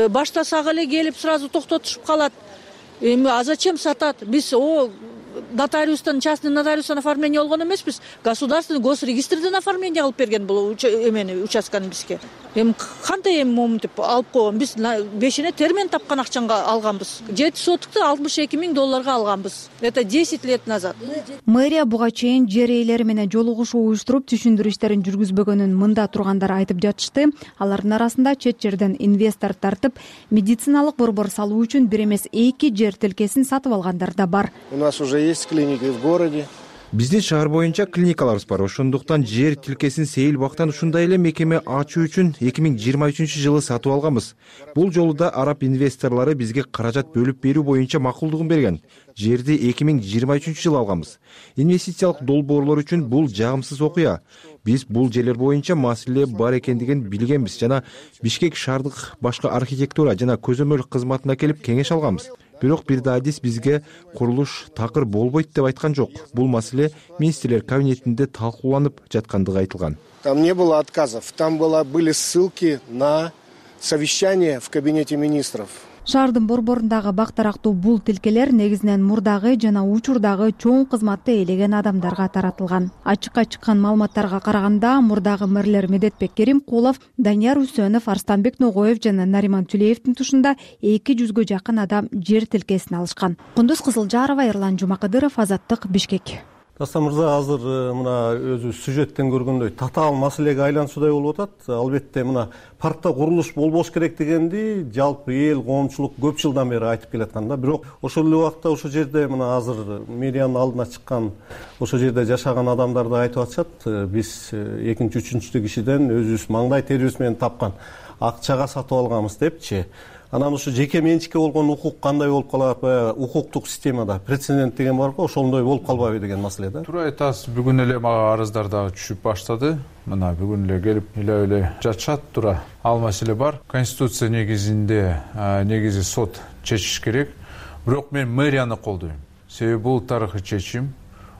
Баштасак эле келип сразу токтотушуп калат. Эми а зачем сатат? Биз о нотариустан, частный нотариустан оформление болгон эмеспиз. Государственный госрегистрден оформление кылып берген бул эмени участканы бизге. Эми кандай эми момунтип алып койгон? Биз бешине термен тапкан акчанга алганбыз. жети сотукты алтымыш эки миң долларга алганбыз. Это десять лет назад. Мэрия буга чейин жер ээлери менен жолугушуу уюштуруп түшүндүрүү иштерин жүргүзбөгөнүн мында тургандар айтып жатышты. Алардын арасында чет жерден инвестор тартып, медициналык борбор салуу үчүн бир эмес эки жер тилкесин сатып алгандар да бар. У нас уже есть есть клиники в городе. Биздин шаар боюнча клиникаларыбыз бар. Ошондуктан жер тилкесин сейил бактан ушундай эле мекеме ачуу үчүн эки миң жыйырма үчүнчү жылы сатып алганбыз. Бул жолу да араб инвесторлору бизге каражат бөлүп берүү боюнча макулдугун берген. Жерди эки миң жыйырма үчүнчү жылы алганбыз. Инвестициялык долбоорлор үчүн бул жагымсыз окуя. Биз бул жерлер боюнча маселе бар экендигин билгенбиз жана Бишкек шаардык башкы архитектура жана көзөмөл кызматына келип кеңеш алганбыз. Бирок бир да адис бизге курулуш такыр болбойт деп айткан жок. Бул маселе министрлер кабинетинде талкууланып жаткандыгы айтылган. Там не было отказов, там было, были ссылки на совещание в кабинете министров. Шаардын борборундагы бак-тарактуу бул тилкелер негизинен мурдагы жана учурдагы чоң кызматты ээлеген адамдарга таратылган. Ачыкка чыккан маалыматтарга караганда, мурдагы мэрлер Медетбек Керимкулов, Данияр Үсөнов, Арстанбек Ногоев жана Нариман Түлеевдин тушунда эки жүзгө жакын адам жер тилкесин алышкан. Кундуз Кызылжарова, Эрлан Жумакадыров, Азаттык, Бишкек. Дастан мырза, азыр мына өзү сюжеттен көргөндөй татаал маселеге айлануусудай болуп атат. Албетте мына паркта курулуш болбош керек дегенди жалпы эл, коомчулук көп жылдан бери айтып келаткан да. Бирок ошол эле убакта ошол жерде мына азыр мэриянын алдына чыккан, ошол жерде жашаган адамдар да айтып атышат. Биз экинчи, үчүнчү кишиден өзүбүз маңдай терибиз менен тапкан акчага сатып алганбыз депчи. Анан ушу жеке менчикке болгон укук кандай болуп калат, баягы укуктук системада прецедент деген бар го, ошондой болуп калбайбы деген маселе да. Туура айтасыз, бүгүн эле мага арыздар дагы түшүп баштады. Мына бүгүн эле келип эле эле жатышат. Туура ал маселе бар. Конституция негизинде негизи сот чечиш керек. Бирок мен мэрияны колдойм. Себеби бул тарыхый чечим.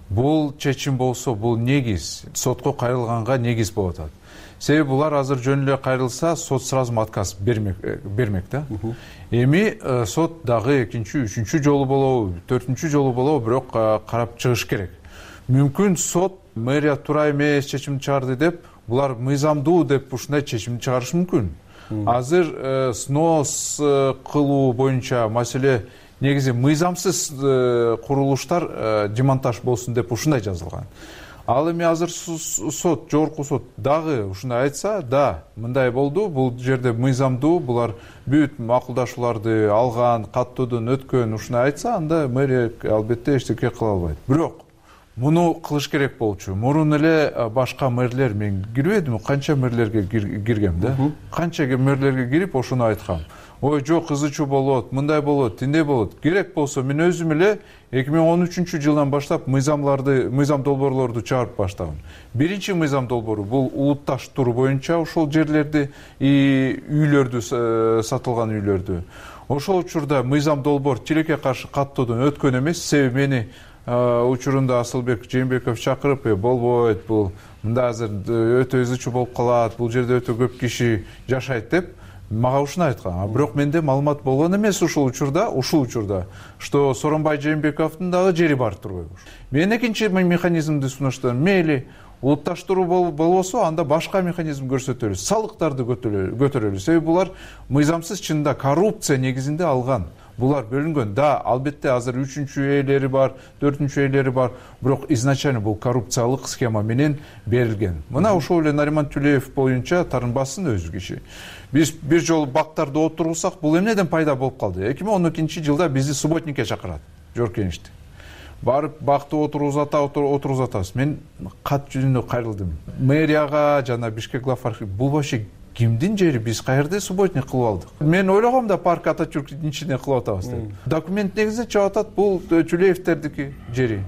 Бул чечим болсо, бул негиз сотко кайрылганга негиз болуп атат. Себеби булар азыр жөн эле кайрылса, сот сразу отказ бермек бермек да. Эми сот дагы экинчи, үчүнчү жолу болобу, төртүнчү жолу болобу, бирок карап чыгыш керек. Мүмкүн сот мэрия туура эмес чечим чыгарды деп, булар мыйзамдуу деп ушундай чечим чыгарышы мүмкүн. Азыр снос кылуу боюнча маселе негизи мыйзамсыз курулуштар демонтаж болсун деп ушундай жазылган. Ал эми азыр сот, жогорку сот дагы ушундай айтса, да, мындай болду, бул жерде мыйзамдуу, булар бүт макулдашууларды алган, каттоодон өткөн, ушундай айтса, анда мэрия албетте эчтеке кыла албайт. Бирок муну кылыш керек болчу. Мурун эле башка мэрлер, мен кирбедим, канча мэрлерге киргем да. Канча мэрлерге кирип ошону айткам. Ой, жок, ызы чуу болот, мындай болот, тиндей болот. Керек болсо мен өзүм эле эки миң он үчүнчү жылдан баштап мыйзамларды, мыйзам долбоорлорду чыгарып баштагам. Биринчи мыйзам долбоору бул улутташ тур боюнча ошол жерлерди и үйлөрдү, сатылган үйлөрдү. Ошол учурда мыйзам долбоор тилекке каршы каттоодон өткөн эмес. Себеби мени учурунда Асылбек Жээнбеков чакырып, болбойт, бул мында азыр өтө ызы чуу болуп калат, бул жерде өтө көп киши жашайт деп мага ушуну айткан. Бирок менде маалымат болгон эмес ушул учурда, ушул учурда, что Сооронбай Жээнбековдун дагы жери бар турбайбы? Мен экинчи механизмди сунуштадым. Мейли улутташтыруу болбосо, анда башка механизм көрсөтөлү, салыктарды көтөрөлү. Себеби булар мыйзамсыз, чынында коррупция негизинде алган. Булар бөлүнгөн. Да, албетте азыр үчүнчү ээлери бар, төртүнчү ээлери бар, бирок изначально бул коррупциялык схема менен берилген. Мына ошол эле Нариман Түлеев боюнча тарынбасын өзү киши. Биз бир жолу бактарды отургусак, бул эмнеден пайда болуп калды? эки миң он экинчи жылда бизди субботникке чакырат, жоркеништи. Барып бакты отургузата, отургузатабыз. Мен кат жүзүндө кайрылдым. Мэрияга жана Бишкек глав архив, бул вообще кимдин жери, биз каерде субботник кылып алдык? Мен ойлогом да парк Ататюрктүн ичине кылып атабыз деп. Документ негизинде чыгып атат, бул Түлеевтердики жери.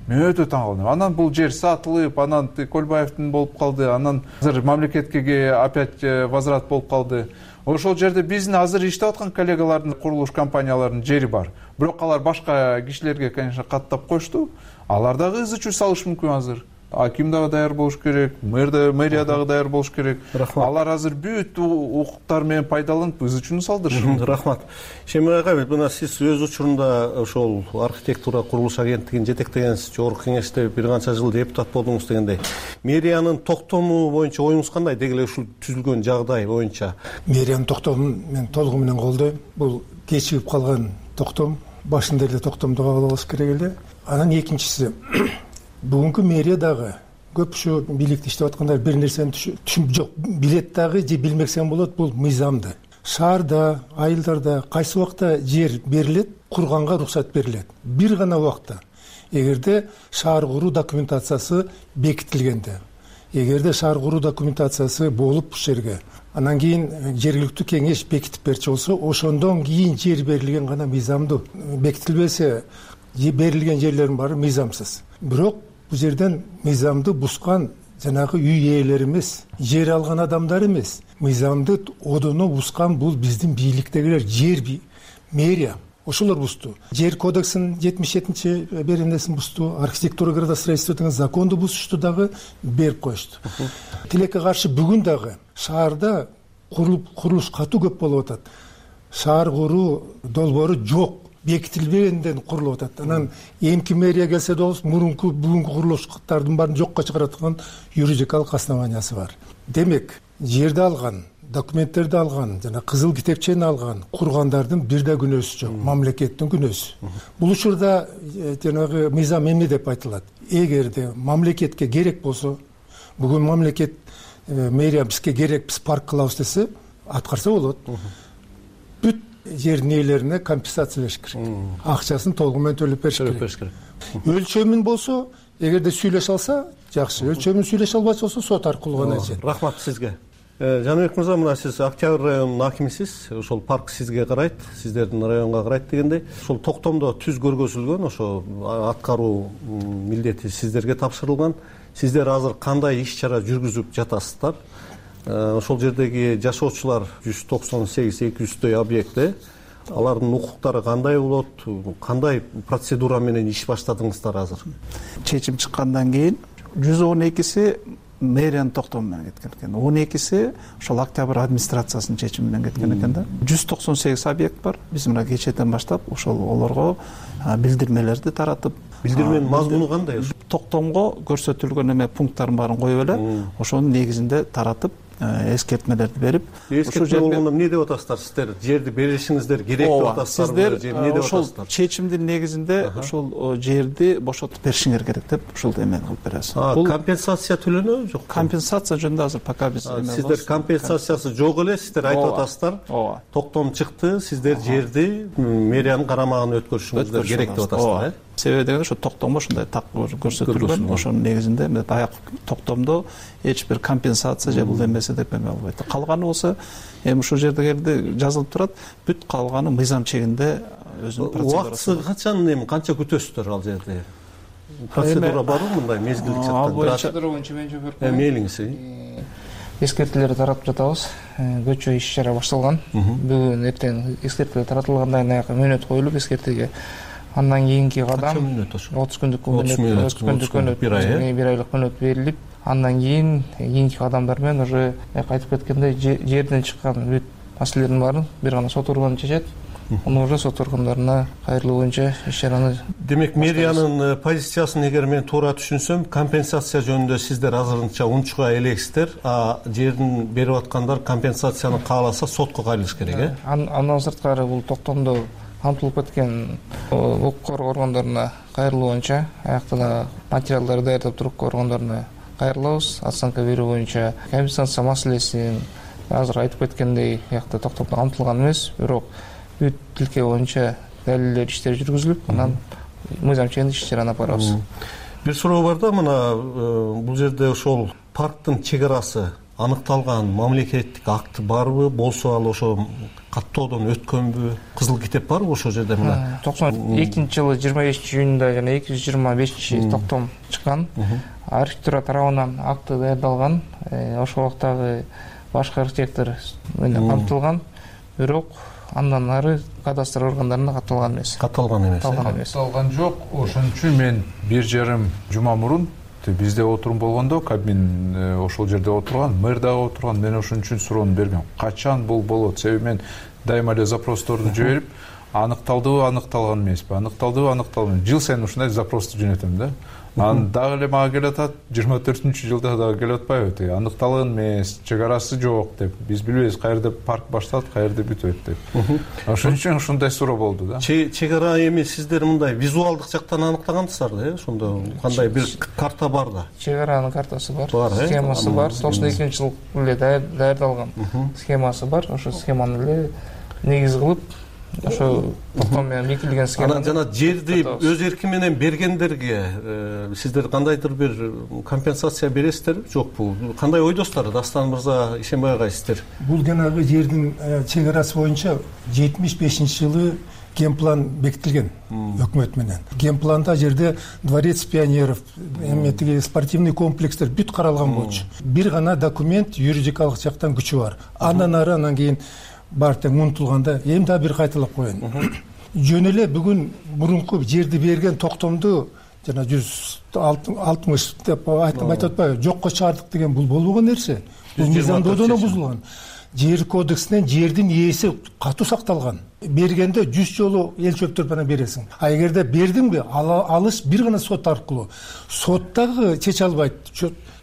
Мен өтө таң калдым. Анан бул жер сатылып, анан Көлбаевдин болуп калды, анан азыр мамлекетке опять возврат болуп калды. Ошол жерде биздин азыр иштеп аткан коллегалардын, курулуш компанияларынын жери бар. Бирок алар башка кишилерге, конечно, каттап коюшту. Алар дагы ызы чуу салышы мүмкүн азыр. Аким дагы даяр болуш керек, мэрия дагы даяр болуш керек. Алар азыр бүт укуктар менен пайдаланып ызы чууну салдырышат. Рахмат. Шемир айга, мына сиз өз учурунда ошол архитектура курулуш агенттигин жетектегенсиз, жогорку кеңеште бир канча жыл депутат болдуңуз дегендей. Мэриянын токтому боюнча оюңуз кандай? Деги эле ушул түзүлгөн жагдай боюнча. Мэриянын токтомун мен толугу менен колдойм. Бул кечигип калган токтом, башында эле токтомду кабыл алыш керек эле. Анан экинчиси, бүгүнкү мэрия дагы көп ушу бийликте иштеп аткандар бир нерсени түшүнүп жок, билет дагы же билмесем болот, бул мыйзамды. Шаарда, айылдарда кайсы убакта жер берилет, курганга уруксат берилет. Бир гана убакта. эгерде шаар куруу документациясы бекитилгенде, эгерде шаар куруу документациясы болуп ушул жерге анан кийин жергиликтүү кеңеш бекитип берчү болсо, ошондон кийин жер берилген гана мыйзамдуу. Бекитилбесе берилген жерлердин баары мыйзамсыз. Бирок бул жерден мыйзамды бускан жанагы үй ээлери эмес, жер алган адамдар эмес, мыйзамды одоно бускан бул биздин бийликтегилер, жер мэрия. Ошолор бузду. Жер кодексин жетимиш жетинчи беренесин бузду, архитектура градостроительство деген законду бузушту дагы, берип коюшту. Тилекке каршы бүгүн дагы шаарда курулуш катуу көп болуп атат. Шаар куруу долбоору жок, бекитилбегенден курулуп атат. Анан эмки мэрия келсе болбос, мурунку бүгүнкү курулуштардын баарын жокко чыгараткан юридикалык основаниясы бар. Демек, жерди алган, документтерди алган, жана кызыл китепчени алган кургандардын бир да күнөөсү жок, мамлекеттин күнөөсү. Бул учурда жанагы мыйзам эмне деп айтылат? Эгерде мамлекетке керек болсо, бүгүн мамлекет мэрия бизге керек, биз парк кылабыз десе, аткарса болот. Бүт жердин ээлерине компенсация бериш керек. Акчасын толугу менен төлөп бериш керек. Өлчөмүн болсо, эгерде сүйлөшө алса, жакшы. Өлчөмүн сүйлөшө албайча болсо, сот аркылуу гана жер. Рахмат сизге. Жаныбек мырза, мына сиз Октябрь районунун акимисиз. Ошол парк сизге карайт, сиздердин районго карайт дегендей. Ошол токтомдо түз көргөзүлгөн, ошо аткаруу милдети сиздерге тапшырылган. Сиздер азыр кандай иш-чара жүргүзүп жатасыздар? Ошол жердеги жашоочулар жүз токсон сегиз эки жүздөй объекти, алардын укуктары кандай болот? Кандай процедура менен иш баштадыңыздар азыр? Чечим чыккандан кийин жүз он экиси мэриянын токтому менен кеткен экен. он экиси ошол Октябрь администрациясынын чечими менен кеткен экен да. жүз токсон сегиз объект бар. Биз мына кечээден баштап ошол олорго билдирмелерди таратып, билдирменин мазмуну кандай? Токтомго көрсөтүлгөн эме пункттардын баарын коюп эле, ошонун негизинде таратып, эскертмелерди берип, эскертме болгондо эмне деп атасыздар? Сиздер жерди беришиңиздер керек деп атасыздарбы? Сиздер ошол чечимдин негизинде ошол жерди бошотуп беришиңер керек деп ушул эмени кылып беребиз. Бул компенсация төлөнөбү, жокпу? Компенсация жөнүндө азыр пока биз сиздер компенсациясы жок эле, сиздер айтып атасыздар. Токтом чыкты, сиздер жерди мэриянын карамагына өткөрүшүңүздөр керек деп атасыздар, э? Себеби дегенде ошо токтомго ушундай так көрсөтүлгөн, ошонун негизинде баягы токтомдо эч бир компенсация же бул эмеси деп эме албайт. Калганы болсо эми ушул жерде жазылып турат, бүт калганы мыйзам чегинде өзүнүн процедурасы. Убактысы качан, эми канча күтөсүздөр ал жерде? Процедура барбы мындай мезгилдик жактан? Процедура боюнча мен жооп берип коеюн. Мейлиңиз. Эскертүүлөрдү таратып жатабыз. Көчө иш-чара башталган. Бүгүн эртең эскертүү таратылгандан кийин аяка мөөнөт коюлуп эскертүүгө. Андан кийинки кадам отуз күндүк мөөнөт, бир айлык мөөнөт берилип, андан кийин кийинки кадамдар менен уже айтып кеткендей жерден чыккан бүт маселелердин баарын бир гана сот органы чечет. Муну уже сот органдарына кайрылуу боюнча иш-чараны. Демек, мэриянын позициясын эгер мен туура түшүнсөм, компенсация жөнүндө сиздер азырынча унчуга элексиздер, а жердин берип аткандар компенсацияны кааласа сотко кайрылыш керек, э? Андан сырткары бул токтомдо камтылып кеткен укук коргоо органдарына кайрылуу боюнча аякта да материалдарды даярдап туруп органдарына кайрылабыз. Оценка берүү боюнча компенсация маселесин азыр айтып кеткендей аякта токтомдо камтылган эмес, бирок бүт тилке боюнча далилдер иштери жүргүзүлүп, анан мыйзам чегинде иш-чараны алып барабыз. Бир суроо бар да, мына бул жерде ошол парктын чек арасы аныкталган мамлекеттик акт барбы, болсо ал ошо каттоодон өткөнбү, кызыл китеп барбы ошол жерде? Мына токсон экинчи жылы жыйырма бешинчи июнда жана эки жүз жыйырма бешинчи токтом чыккан. Архитектура тарабынан акты даярдалган, ошол убактагы башкы архитектор менен камтылган, бирок андан ары кадастр органдарына катталган эмес. Катталган эмес. Катталган жок. Ошон үчүн мен бир жарым жума мурун бизде отурум болгондо, кабин ошол жерде отурган, мэр дагы отурган, мен ошон үчүн суроону бергем. Качан бул болот? Себеби мен дайыма эле запросторду жиберип, аныкталдыбы, аныкталган эмеспи, аныкталдыбы, аныкталган. Жыл сайын ушундай запросту жөнөтөм да. Анан дагы эле мага келип атат, жыйырма төртүнчү жылда дагы келип атпайбы? Тиги аныкталган эмес, чек арасы жок деп. Биз билбейбиз каерде парк башталат, каерде бүтөт деп. Ошон үчүн ушундай суроо болду да. Чек ара эми сиздер мындай визуалдык жактан аныктагансыздар, э? Ошондо кандай бир карта бар да? Чек аранын картасы бар, схемасы бар. токсон экинчи жылы эле даярдалган схемасы бар. Ошо схеманы эле негиз кылып ошо токтом менен бекитилген схема. Анан жана жерди өз эрки менен бергендерге сиздер кандайдыр бир компенсация бересиздерби жокпу? Кандай ойдосуздар Дастан мырза, Ишенбай агай сиздер? Бул жанагы жердин чек арасы боюнча жетимиш бешинчи жылы генплан бекитилген өкмөт менен. Генпланда жерде дворец пионеров, эми тиги спортивный комплекстер бүт каралган болчу. Бир гана документ юридикалык жактан күчү бар. Андан ары анан кийин бар тең унутулганда эми да бир кайталап коеюн. Жөн эле бүгүн мурунку жерди берген токтомду жана жүз алтымыш деп айтып атпайбы, жокко чыгардык деген бул болбогон нерсе. Бул мыйзамдоодон бузулган. Жер кодексинен жердин ээси катуу сакталган. Бергенде жүз жолу эл чөптөрүп анан бересиң. А эгерде бердиңби, алыш бир гана сот аркылуу. Сот дагы чече албайт.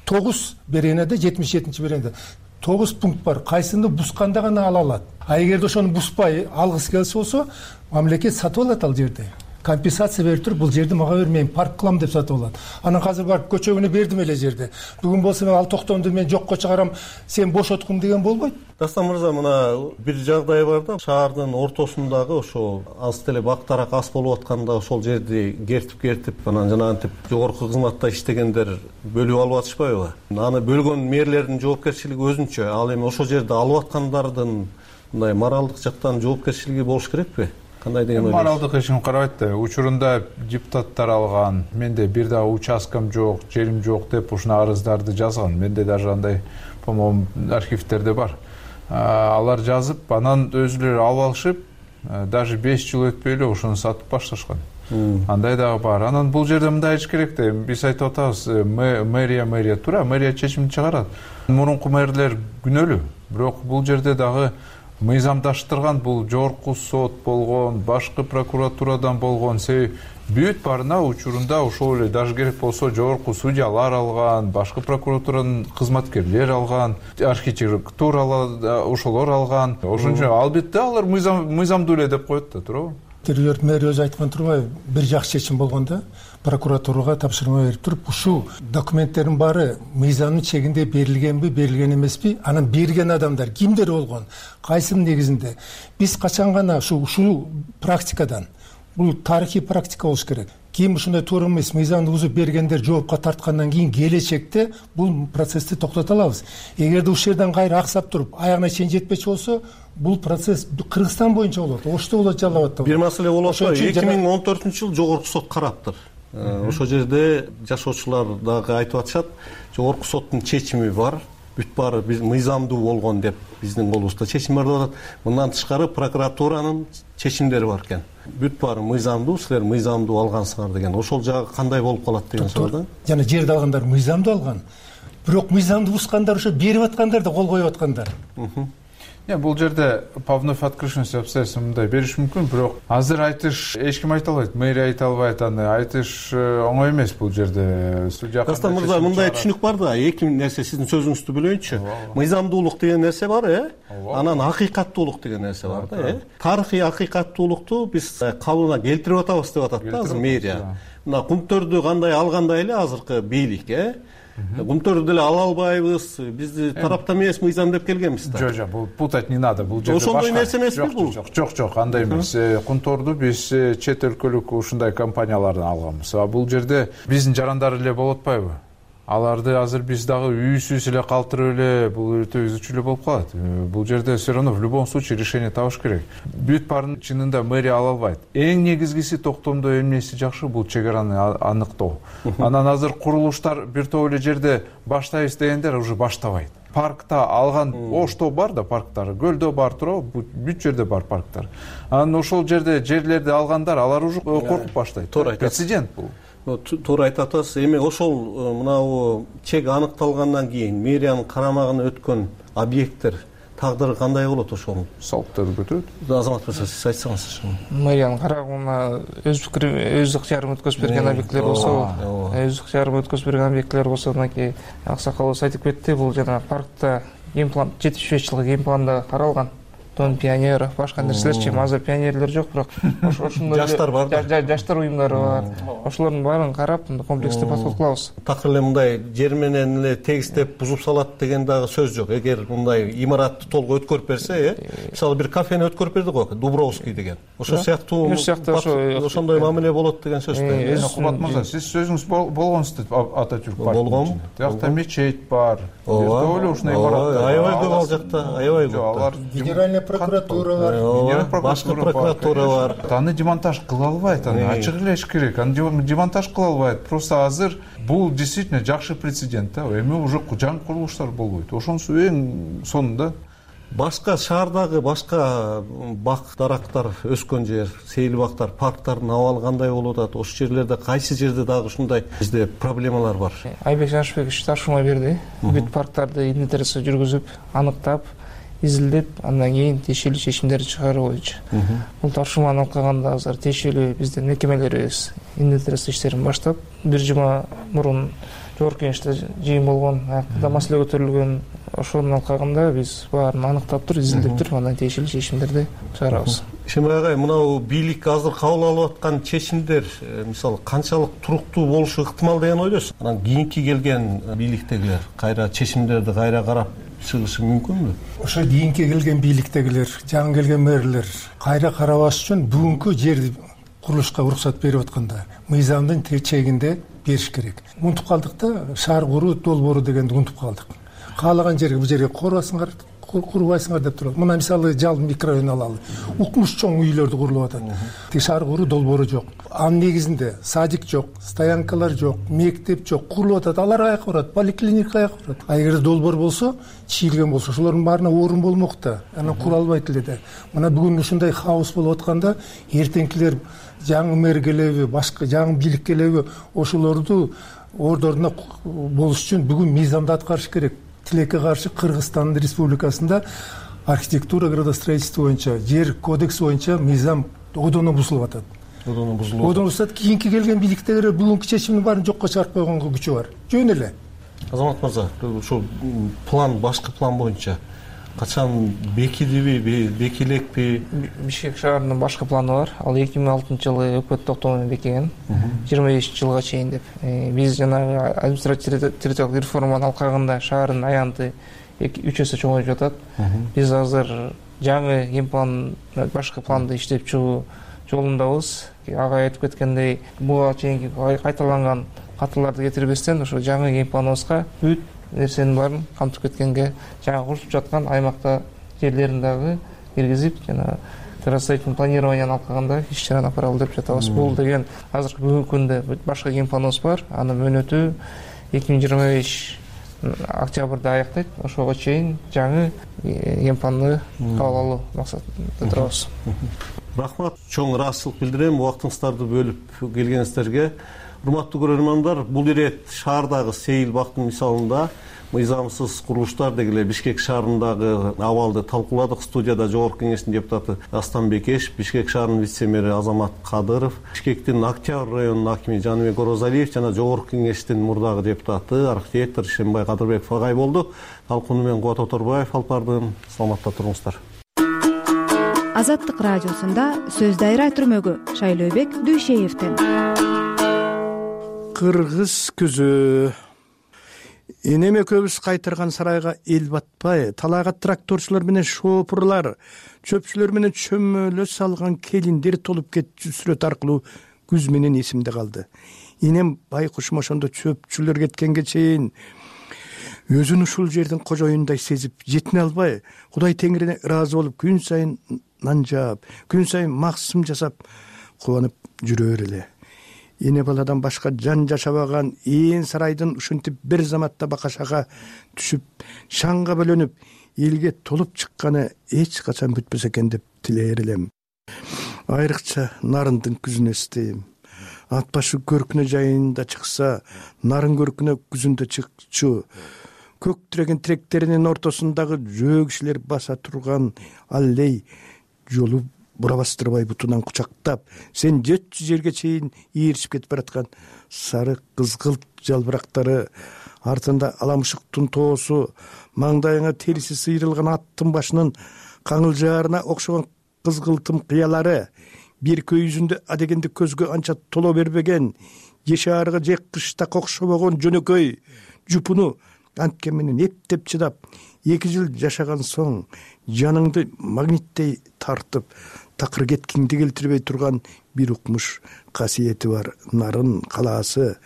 тогуз беренеде, жетимиш жетинчи беренеде тогуз пункт бар. Кайсыны бусканда гана ала алат. А эгерде ошону буспай алгысы келсе болсо, мамлекет сатып алат ал жерди. Компенсация берип туруп, бул жерди мага бер, мен парк кылам деп сатып алат. Анан азыр барып көчөгүнө бердим эле жерди. Бүгүн болсо мен ал токтомду мен жокко чыгарам, сен бошоткун деген болбойт. Дастан мырза, мына бир жагдай бар да, шаардын ортосундагы ошо аз деле бактарак ас болуп атканда ошол жерди кертип-кертип, анан жанагынтип жогорку кызматта иштегендер бөлүп алып атышпайбы? Аны бөлгөн мэрлердин жоопкерчилиги өзүнчө. Ал эми ошол жерди алып аткандардын мындай моралдык жактан жоопкерчилиги болуш керекпи? Кандай деген ойлойсуз? Моралдык эч ким карабайт да. Учурунда депутаттар алган, менде бир дагы участкам жок, жерим жок деп ушуна арыздарды жазган. Менде даже андай, по-моему, архивтерде бар. Алар жазып, анан өзүлөрү алып алышып, даже беш жыл өтпөй эле ошону сатып башташкан. Андай дагы бар. Анан бул жерде мындай иш керек да. Биз айтып атабыз, мэрия мэрия туура, мэрия чечим чыгарат. Мурунку мэрлер күнөөлүү. Бирок бул жерде дагы мыйзамдаштырган, бул жогорку сот болгон, башкы прокуратурадан болгон, себеби бүт барына учурунда ошол эле даже керек болсо жогорку судьялар алган, башкы прокуратуранын кызматкерлери алган, архитектура ошолор алган. Ошон үчүн албетте алар мыйзамдуу эле деп коет да, туурабы? Территориялык мэр өзү айткан турбайбы? Бир жакшы чечим болгондо прокуратурага тапшырма берип туруп, ушул документтердин баары мыйзамдын чегинде берилгенби, берилген эмеспи? Анан берген адамдар кимдер болгон? Кайсынын негизинде? Биз качан гана ушул ушул практикадан, бул тарыхый практика болуш керек. Ким ушундай туура эмес мыйзамды бузуп бергендер жоопко тарткандан кийин келечекте бул процессти токтото алабыз. Эгерде ушул жерден кайра аксап туруп, аягына чейин жетпечи болсо, бул процесс Кыргызстан боюнча болот. Ошто болот, Жалал Абадта. Бир маселе болот. эки миң он төртүнчү жылы жогорку сот караптыр. Ошол жерде жашоочулар дагы айтып атышат, жогорку соттун чечими бар, бүт баары биз мыйзамдуу болгон деп биздин колубузда чечим бар деп атат. Мындан тышкары прокуратуранын чечимдери бар экен. Бүт баары мыйзамдуу, силер мыйзамдуу алгансыңар деген. Ошол жагы кандай болуп калат деген суроо да. Жана жерди алгандар мыйзамдуу алган. Бирок мыйзамды бускандар ошо берип аткандар да кол коюп аткандар. Не, бул жерде по вновь открывшимся обстоятельствам мындай бериш мүмкүн, бирок азыр айтыш эч ким айта албайт, мэрия айта албайт, аны айтыш оңой эмес бул жерде. Судья Дастан мырза, мындай түшүнүк бар да, эки нерсе сиздин сөзүңүздү бөлөйүнчү. Мыйзамдуулук деген нерсе бар, э? Анан акыйкаттуулук деген нерсе бар да, э? Тарыхый акыйкаттуулукту биз калыбына келтирип атабыз деп атат да азыр мэрия. Мына кумтөрдү кандай алгандай эле азыркы бийлик, э? Кумтөрдү деле ала албайбыз, бизди тараптан эмес мыйзам деп келгенбиз да. Жок, жок, бул путать не надо. Бул жерде ошондой нерсе эмеспи бул? Жок, жок, жок, андай эмес. Кумторду биз чет өлкөлүк ушундай компаниялардан алганбыз. А бул жерде биздин жарандар эле болуп атпайбы? Аларды азыр биз дагы үйсүз эле калтырып эле бул өтө үзүчү эле болуп калат. Бул жерде все равно в любом случае решение табыш керек. Бүт баарын чынында мэрия ала албайт. Эң негизгиси токтомдо эмнеси жакшы, бул чек араны аныктоо. Анан азыр курулуштар бир топ эле жерде баштайбыз дегендер уже баштабайт. Паркта алган ошто бар да парктар, көлдө бар туурабы, бүт жерде бар парктар. Анан ошол жерде жерлерди алгандар, алар уже коркуп баштайт. Прецедент бул. Туура айтып атасыз. Эми ошол мынау чек аныкталгандан кийин мэриянын карамагына өткөн объекттер тагдыры кандай болот ошол? Салыктарды көтөрөт. Азамат мырза, сиз айтсаңыз. Мэриянын карамагына өз пикир, өз ыктыярын өткөзүп берген объекттер болсо, өз ыктыярын өткөзүп берген объекттер болсо, мынакей аксакалыбыз айтып кетти, бул жана паркта геймплан жетимиш беш жылкы геймпланда каралган. дон пионеров, башка нерселерчи. Азыр пионерлер жок, бирок ошондой жаштар бар да. Жаштар уюмдары бар. Ошолордун баарын карап, комплекстүү подход кылабыз. Такыр эле мындай жер менен эле тегистеп бузуп салат деген дагы сөз жок. Эгер мындай имаратты толук өткөрүп берсе, э, мисалы бир кафени өткөрүп берди го, Дубровский деген. Ошол сыяктуу ошондой мамиле болот деген сөз да. Кубат мырза, сиз сөзүңүз болгонсуз Ататюрк паркинин. Болгом. Тиякта мечет бар. Ооба, ушундай имараттар. Аябай көп ал жакта, аябай көп. Алар Генеральная прокуратура бар. Башкы прокуратура бар. Аны демонтаж кыла албайт, аны ачык элеш керек. Аны демонтаж кыла албайт. Просто азыр бул действительно жакшы прецедент да. Эми уже жаңы курулуштар болбойт. Ошонусу эң сонунда башка шаардагы башка бак дарактар өскөн жер, сейил бактар, парктардын абалы кандай болуп атат? Ошол жерлерде кайсы жерде дагы ушундай бизде проблемалар бар? Айбек Жанышбекович тапшырма берди. Бүт парктарды инвентаризация жүргүзүп, аныктап, изилдеп, андан кийин тиешелүү чечимдерди чыгаруу боюнча. Бул тапшырманы алып калганда азыр тиешелүү биздин мекемелерибиз инвентаризация иштерин баштап, бир жума мурун жогорку кеңеште жыйын болгон, аякта маселе көтөрүлгөн. Ошону алып калганда биз баарын аныктап туруп, изилдеп туруп, андан тиешелүү чечимдерди чыгарабыз. Шембай агай, мынау бийлик азыр кабыл алып аткан чечимдер, мисалы, канчалык туруктуу болушу ыктымал деген ойдосуз? Анан кийинки келген бийликтегилер кайра чечимдерди кайра карап чыгышы мүмкүнбү? Ошо кийинки келген бийликтегилер, жаңы келген мэрлер кайра карабаш үчүн бүгүнкү жер курулушка уруксат берип атканда мыйзамдын чегинде бериш керек. Унутуп калдык да, шаар куруу долбоору дегенди унутуп калдык. Каалаган жерге бул жерге курбайсыңар, курбайсыңар деп турат. Мына мисалы Жал микрорайонун алалы. Укмуш чоң үйлөрдү курулуп атат. Тик шаар куруу долбоору жок. Анын негизинде садик жок, стоянкалар жок, мектеп жок, курулуп атат. Алар каяка барат? Поликлиника каяка барат? А эгер долбоор болсо, чийилген болсо, ошолордун баарына орун болмок да. Анан кура албайт эле да. Мына бүгүн ушундай хаос болуп атканда, эртеңкилер жаңы мэр келеби, башка жаңы бийлик келеби, ошолорду ордоруна болуш үчүн бүгүн мыйзамды аткарыш керек. Тилекке каршы Кыргызстан Республикасында архитектура градостроительство боюнча, жер кодекси боюнча мыйзам одоно бузулуп атат. Одоно бузулуп. Одоно бузулат. Кийинки келген бийликтегилер бүгүнкү чечимдин баарын жокко чыгарып койгонго күчү бар. Жөн эле. Азамат мырза, ушул план, башкы план боюнча качан бекидиби, бекилекпи? Бишкек шаарынын башкы планы бар. Ал эки миң алтынчы жылы өкмөт токтому менен бекиген. жыйырма бешинчи жылга чейин деп. Биз жанагы административдик территориалдык реформаны алып калганда шаардын аянты үч эсе чоңоюп жатат. Биз азыр жаңы генплан, башкы планды иштеп чыгуу жолундабыз. Ага айтып кеткендей, буга чейинки кайталанган катыларды кетирбестен ошо жаңы генпланыбызга бүт нерсенин баарын камтып кеткенге, жаңы курулуп жаткан аймакта жерлерин дагы киргизип, жана градостроительный планированияны алып калганда иш чараны апаралы деп жатабыз. Бул деген азыркы бүгүнкү күндө башка генпланыбыз бар. Анын мөөнөтү эки миң жыйырма беш октябрда аяктайт. Ошого чейин жаңы генпланды кабыл алуу максатында турабыз. Рахмат, чоң ыраазычылык билдирем убактыңыздарды бөлүп келгениңиздерге. Урматтуу көрөрмандар, бул ирет шаардагы сейил бактын мисалында мыйзамсыз курулуштар дегиле Бишкек шаарындагы абалды талкууладык. Студияда жогорку кеңештин депутаты Астан Бекеш, Бишкек шаарынын вице-мэри Азамат Кадыров, Бишкектин Октябрь районунун акими Жаныбек Орозалиев жана жогорку кеңештин мурдагы депутаты архитектор Шембай Кадырбеков агай болду. Талкууну мен Кубат Оторбаев алып бардым. Саламатта туруңуздар. Азаттык радиосунда сөз дайра түрмөгү Шайлообек Дүйшеевден. Кыргыз күзү энеме көбүс кайтырган сарайга эл батпай, талайга тракторчулар менен шопурлар, чөпчүлөр менен чөмөлө салган келиндер толуп кетчү сүрөт аркылуу күз менен эсимде калды. Энем байкушум ошондо чөпчүлөр кеткенге чейин өзүн ушул жердин кожоюндай сезип, жетине албай, Кудай Теңирине ыраазы болуп, күн сайын нан жаап, күн сайын максым жасап, кубанып жүрөр эле. Эне баладан башка жан жашабаган ээн сарайдын ушинтип бир заматта бакашага түшүп, шаңга бөлөнүп, элге толуп чыкканы эч качан бүтпөсө экен деп тилейер элем. Айрыкча Нарындын күзүн эстейм. Ат башы көркүнө жайында чыкса, нарын көркүнө күзүндө чыкчу. Көк тиреген тиректеринин ортосундагы жөө кишилер баса турган аллей жолу бура бастырбай бутунан кучактап, сен жетчү жерге чейин ийришип кетип бараткан сары кызгылт жалбырактары, артында аламышыктын тоосу, маңдайыңа териси сыйрылган аттын башынын каңылжаарына окшогон кызгылтым кыялары, беркө жүзүндө адегенде көзгө анча толо бербеген, же шаарга же кыштак окшобогон жөнөкөй жупуну анткен менен эптеп чыдап, эки жыл жашаган соң жаныңды магниттей тартып, такыр кеткиңди келтирбей турган бир укмуш касиети бар нарын калаасы.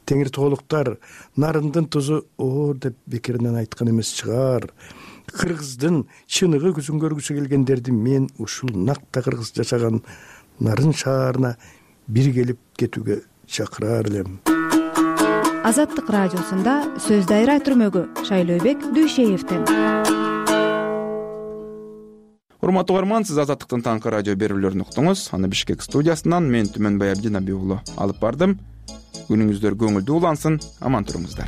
Теңир тоолуктар нарындын тузу оор деп бекеринен айткан эмес чыгар. Кыргыздын чыныгы күзүн көргүсү келгендерди мен ушул накта кыргыз жашаган нарын шаарына бир келип кетүүгө чакырар элем. Азаттык радиосунда сөз дайра түрмөгү Шайлообек Дүйшеевден. Урматтуу угарман, сиз Азаттыктын таңкы радио берүүлөрүн уктуңуз. Аны Бишкек студиясынан мен Түмөнбай Абдинаби уулу алып бардым. Күнүңүздөр көңүлдүү улансын, аман туруңуздар.